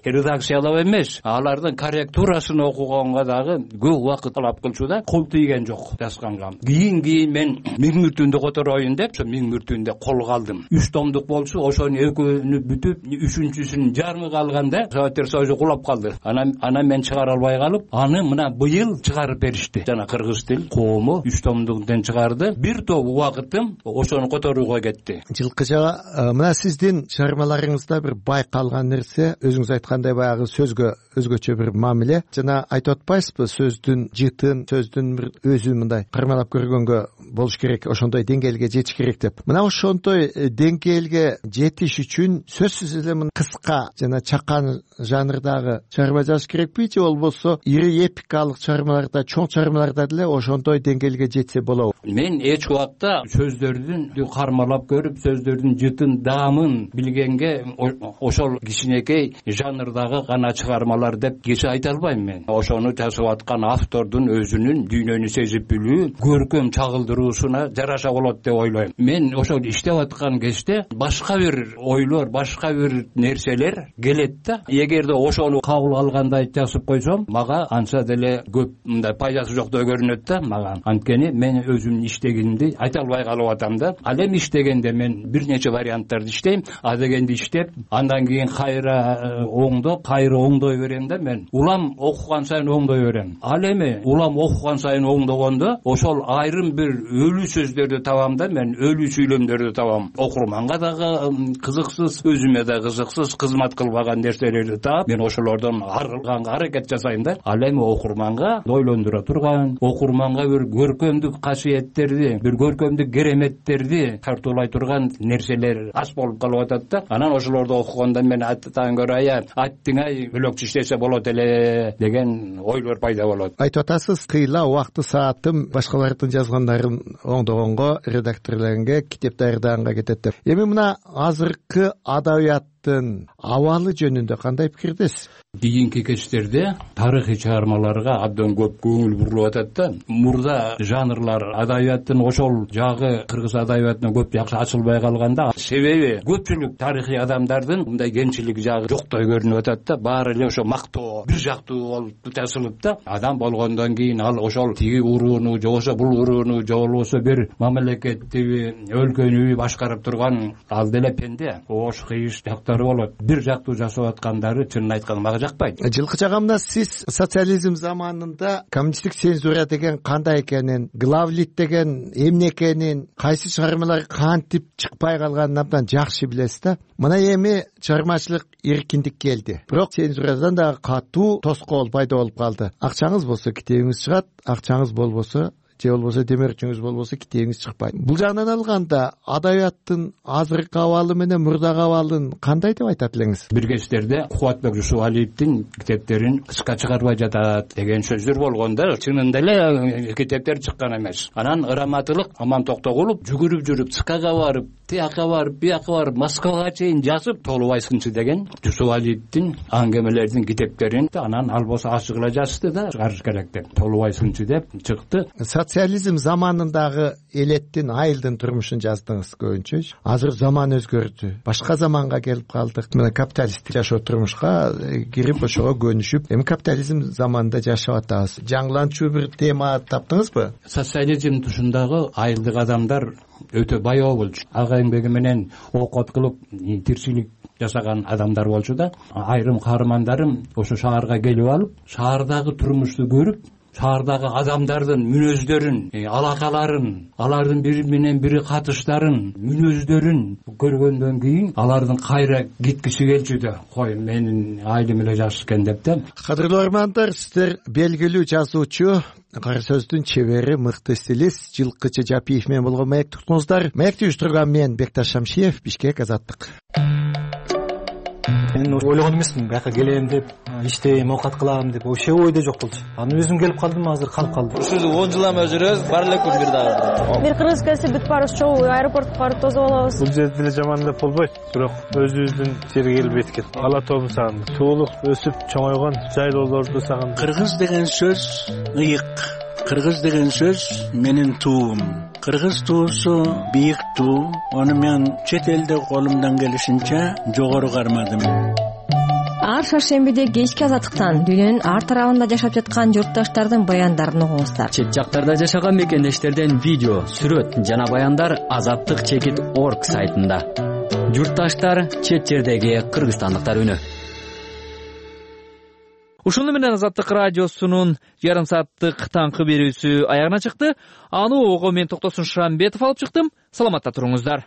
редакциялап эмес, алардын корректурасын окуганга дагы көп убакыт талап кылчу да. Кол тийген жок жазганга. Кийин кийин мен миң мүртүндү котороюн деп, ошо миң мүртүндү колго алдым. үч томдук болчу, ошонун экөөнү бүтүп, үчүнчүсүнүн жарымы калганда Советтер Союзу кулап калды. Анан анан мен чыгара албай калып, аны мына быйыл чыгарып беришти. Жана кыргыз тил коому үч томдуктан чыгарды. Бир топ убакытым ошону которууга кетти. Жылкыча, мына сиздин чыгармаларыңызда бир байкалган нерсе, өзүңүз айткандай баягы сөзгө өзгөчө бир мамиле. Жана айтып атпайсызбы, сөздүн жытын, сөздүн бир өзү мындай кармалап көргөнгө болуш керек, ошондой деңгээлге жетиш керек деп. Мына ошондой деңгээлге жетиш үчүн сөзсүз эле мына кыска жана чакан жанрдагы чыгарма жазыш керекпи же болбосо ири эпикалык чыгармаларда, чоң чыгармаларда деле ошондой деңгээлге жетсе болобу? Мен эч убакта сөздөрдүн кармалап көрүп, сөздөрдүн жытын, даамын билгенге ошол кичинекей жанрдагы гана чыгармалар деп кече айта албайм мен. Ошону жазып аткан автордун өзүнүн дүйнөнү сезип билүү, көркөм чагылдыруусуна жараша болот деп ойлойм. Мен ошол иштеп аткан кезде башка бир ойлор, башка бир нерселер келет да. Эгерде ошону кабыл алгандай жазып койсом, мага анча деле көп мындай пайдасы жоктой көрүнөт да мага. Анткени мен өзүмдүн иштегенимди айта албай калып атам да. Ал эми иштегенде мен бир нече варианттарды иштейм, а дегенди иштеп, андан кийин кайра оңдоп, кайра оңдой берем да мен. Улам окуган сайын оңдой берем. Ал эми улам окуган сайын оңдогондо ошол айрым бир өлүү сөздөрдү табам да мен, өлүү сүйлөмдөрдү табам. Окурманга дагы кызыксыз, өзүмө да кызыксыз, кызмат кылбаган нерселерди таап, мен ошолордон арылганга аракет жасайм да. Ал эми окурманга ойлондура турган, окурманга бир көркөмдүк касиеттерди, бир көркөмдүк кереметтерди тартуулай турган нерселер аз болуп калып атат да. Анан ошолорду окуганда мен аттан көрө ая аттиңай бөлөкчү иштесе болот эле деген ойлор пайда болот. Айтып атасыз, кыйла убакты саатым башкалардын жазгандарын оңдогонго, редакторлорго, китеп даярдаганга кетет деп. Эми мына азыркы адабияттын абалы жөнүндө кандай пикирдесиз? Кийинки кечтерде тарыхый чыгармаларга абдан көп көңүл бурулуп атат да. Мурда жанрлар адабияттын ошол жагы кыргыз адабиятына көп жакшы ачылбай калганда, себеби көпчүлүк тарыхый адамдардын мындай кемчилик жагы жоктой көрүнүп атат да. Баары эле ошо мактоо, бир жактуу болуп жазылып да. Адам болгондон кийин ал ошол тиги урууну, же болбосо бул урууну, же болбосо бир мамлекетти, өлкөнү башкарып турган ал деле пенде. Ош кыйыш жактары болот. Бир жактуу жасап аткандары чынын айтканда мага жакпайт. Жылкыча агамда сиз социализм заманында коммунисттик цензура деген кандай экенин, главлит деген эмне экенин, кайсы чыгармалар кантип чыкпай калганын абдан жакшы билесиз да. Мына эми чыгармачылык эркиндик келди. Бирок цензурадан дагы катуу тоскоол пайда болуп калды. Акчаңыз болсо китебиңиз чыгат, акчаңыз болбосо же болбосо демирчиңиз болбосо китебиңиз чыкпайт. Бул жагынан алганда адабияттын азыркы абалы менен мурдагы абалын кандай деп айтат элеңиз? Бир кечтерде Кубатбек Жусупалиевдин китептерин кыска чыгарбай жатат деген сөздөр болгон да. Чынында эле китептер чыккан эмес. Анан ыраматылык Аман Токтогулов жүгүрүп жүрүп Цкага барып, тияка барып, бияка барып, Москвага чейин жазып, Толубайсынчы деген Жусупалиевдин аңгемелердин китептерин анан ал болсо ачык эле жазды да, чыгарыш керек деп. Толубайсынчы деп чыкты. Социализм заманындагы элеттин, айылдын турмушун жаздыңыз көбүнчө. Азыр заман өзгөрдү. Башка заманга келип калдык. Мына капиталисттик жашоо турмушка кирип ошого көнүшүп, эми капитализм заманында жашап атабыз. Жаңыланчу бир тема таптыңызбы? Социализм тушундагы айылдык адамдар өтө баяу болчу. Ага эмгеги менен окот кылып тирчилик жасаган адамдар болчу да. Айрым каармандарым ошо шаарга келип алып, шаардагы турмушту көрүп, шаардагы адамдардын мүнөздөрүн, алакаларын, алардын бири менен бири катыштарын, мүнөздөрүн көргөндөн кийин алардын кайра кеткиси келчү да. Кой, менин айылым эле жакшы экен деп да. Кадырлуу армандар, сиздер белгилүү жазуучу, кара сөздүн чебери, мыкты стилист Жылкычы Жапиев менен болгон маекти уктуңуздар. Маекти уюштурган мен Бекташ Шамшиев, Бишкек, Азаттык. Мен ойлогон эмесмин, бияка келем деп, иштейм, оокат кылам деп, вообще ойдо жок болчу. Анан өзүм келип калдым, азыр калып калдым. Ушул он жыл эме жүрөбүз, бар эле күн бир дагы. Бир кыргыз келсе бүт баарыбыз чогуу аэропортко барып тосуп алабыз. Бул жерде деле жаман деп болбойт, бирок өзүбүздүн жерге келип эткет. Ала тобу сагын, туулуп, өсүп, чоңойгон жайлоолорду сагын. Кыргыз деген сөз ыйык. Кыргыз деген сөз менин туум. Кыргыз туусу бийик туу. Аны мен чет элде колумдан келишинче жогору кармадым. Ар шаршембиде кечки Азаттыктан дүйнөнүн ар тарабында жашап жаткан журтташтардын баяндарын угуңуздар. Чет жактарда жашаган мекендештерден видео, сүрөт жана баяндар азаттык чекит орг сайтында. Журтташтар, чет жердеги кыргызстандыктар үнү. Ушуну менен Азаттык радиосунун жарым сааттык таңкы берүүсү аягына чыкты. Аны ого мен Токтосун Шамбетов алып чыктым. Саламатта туруңуздар.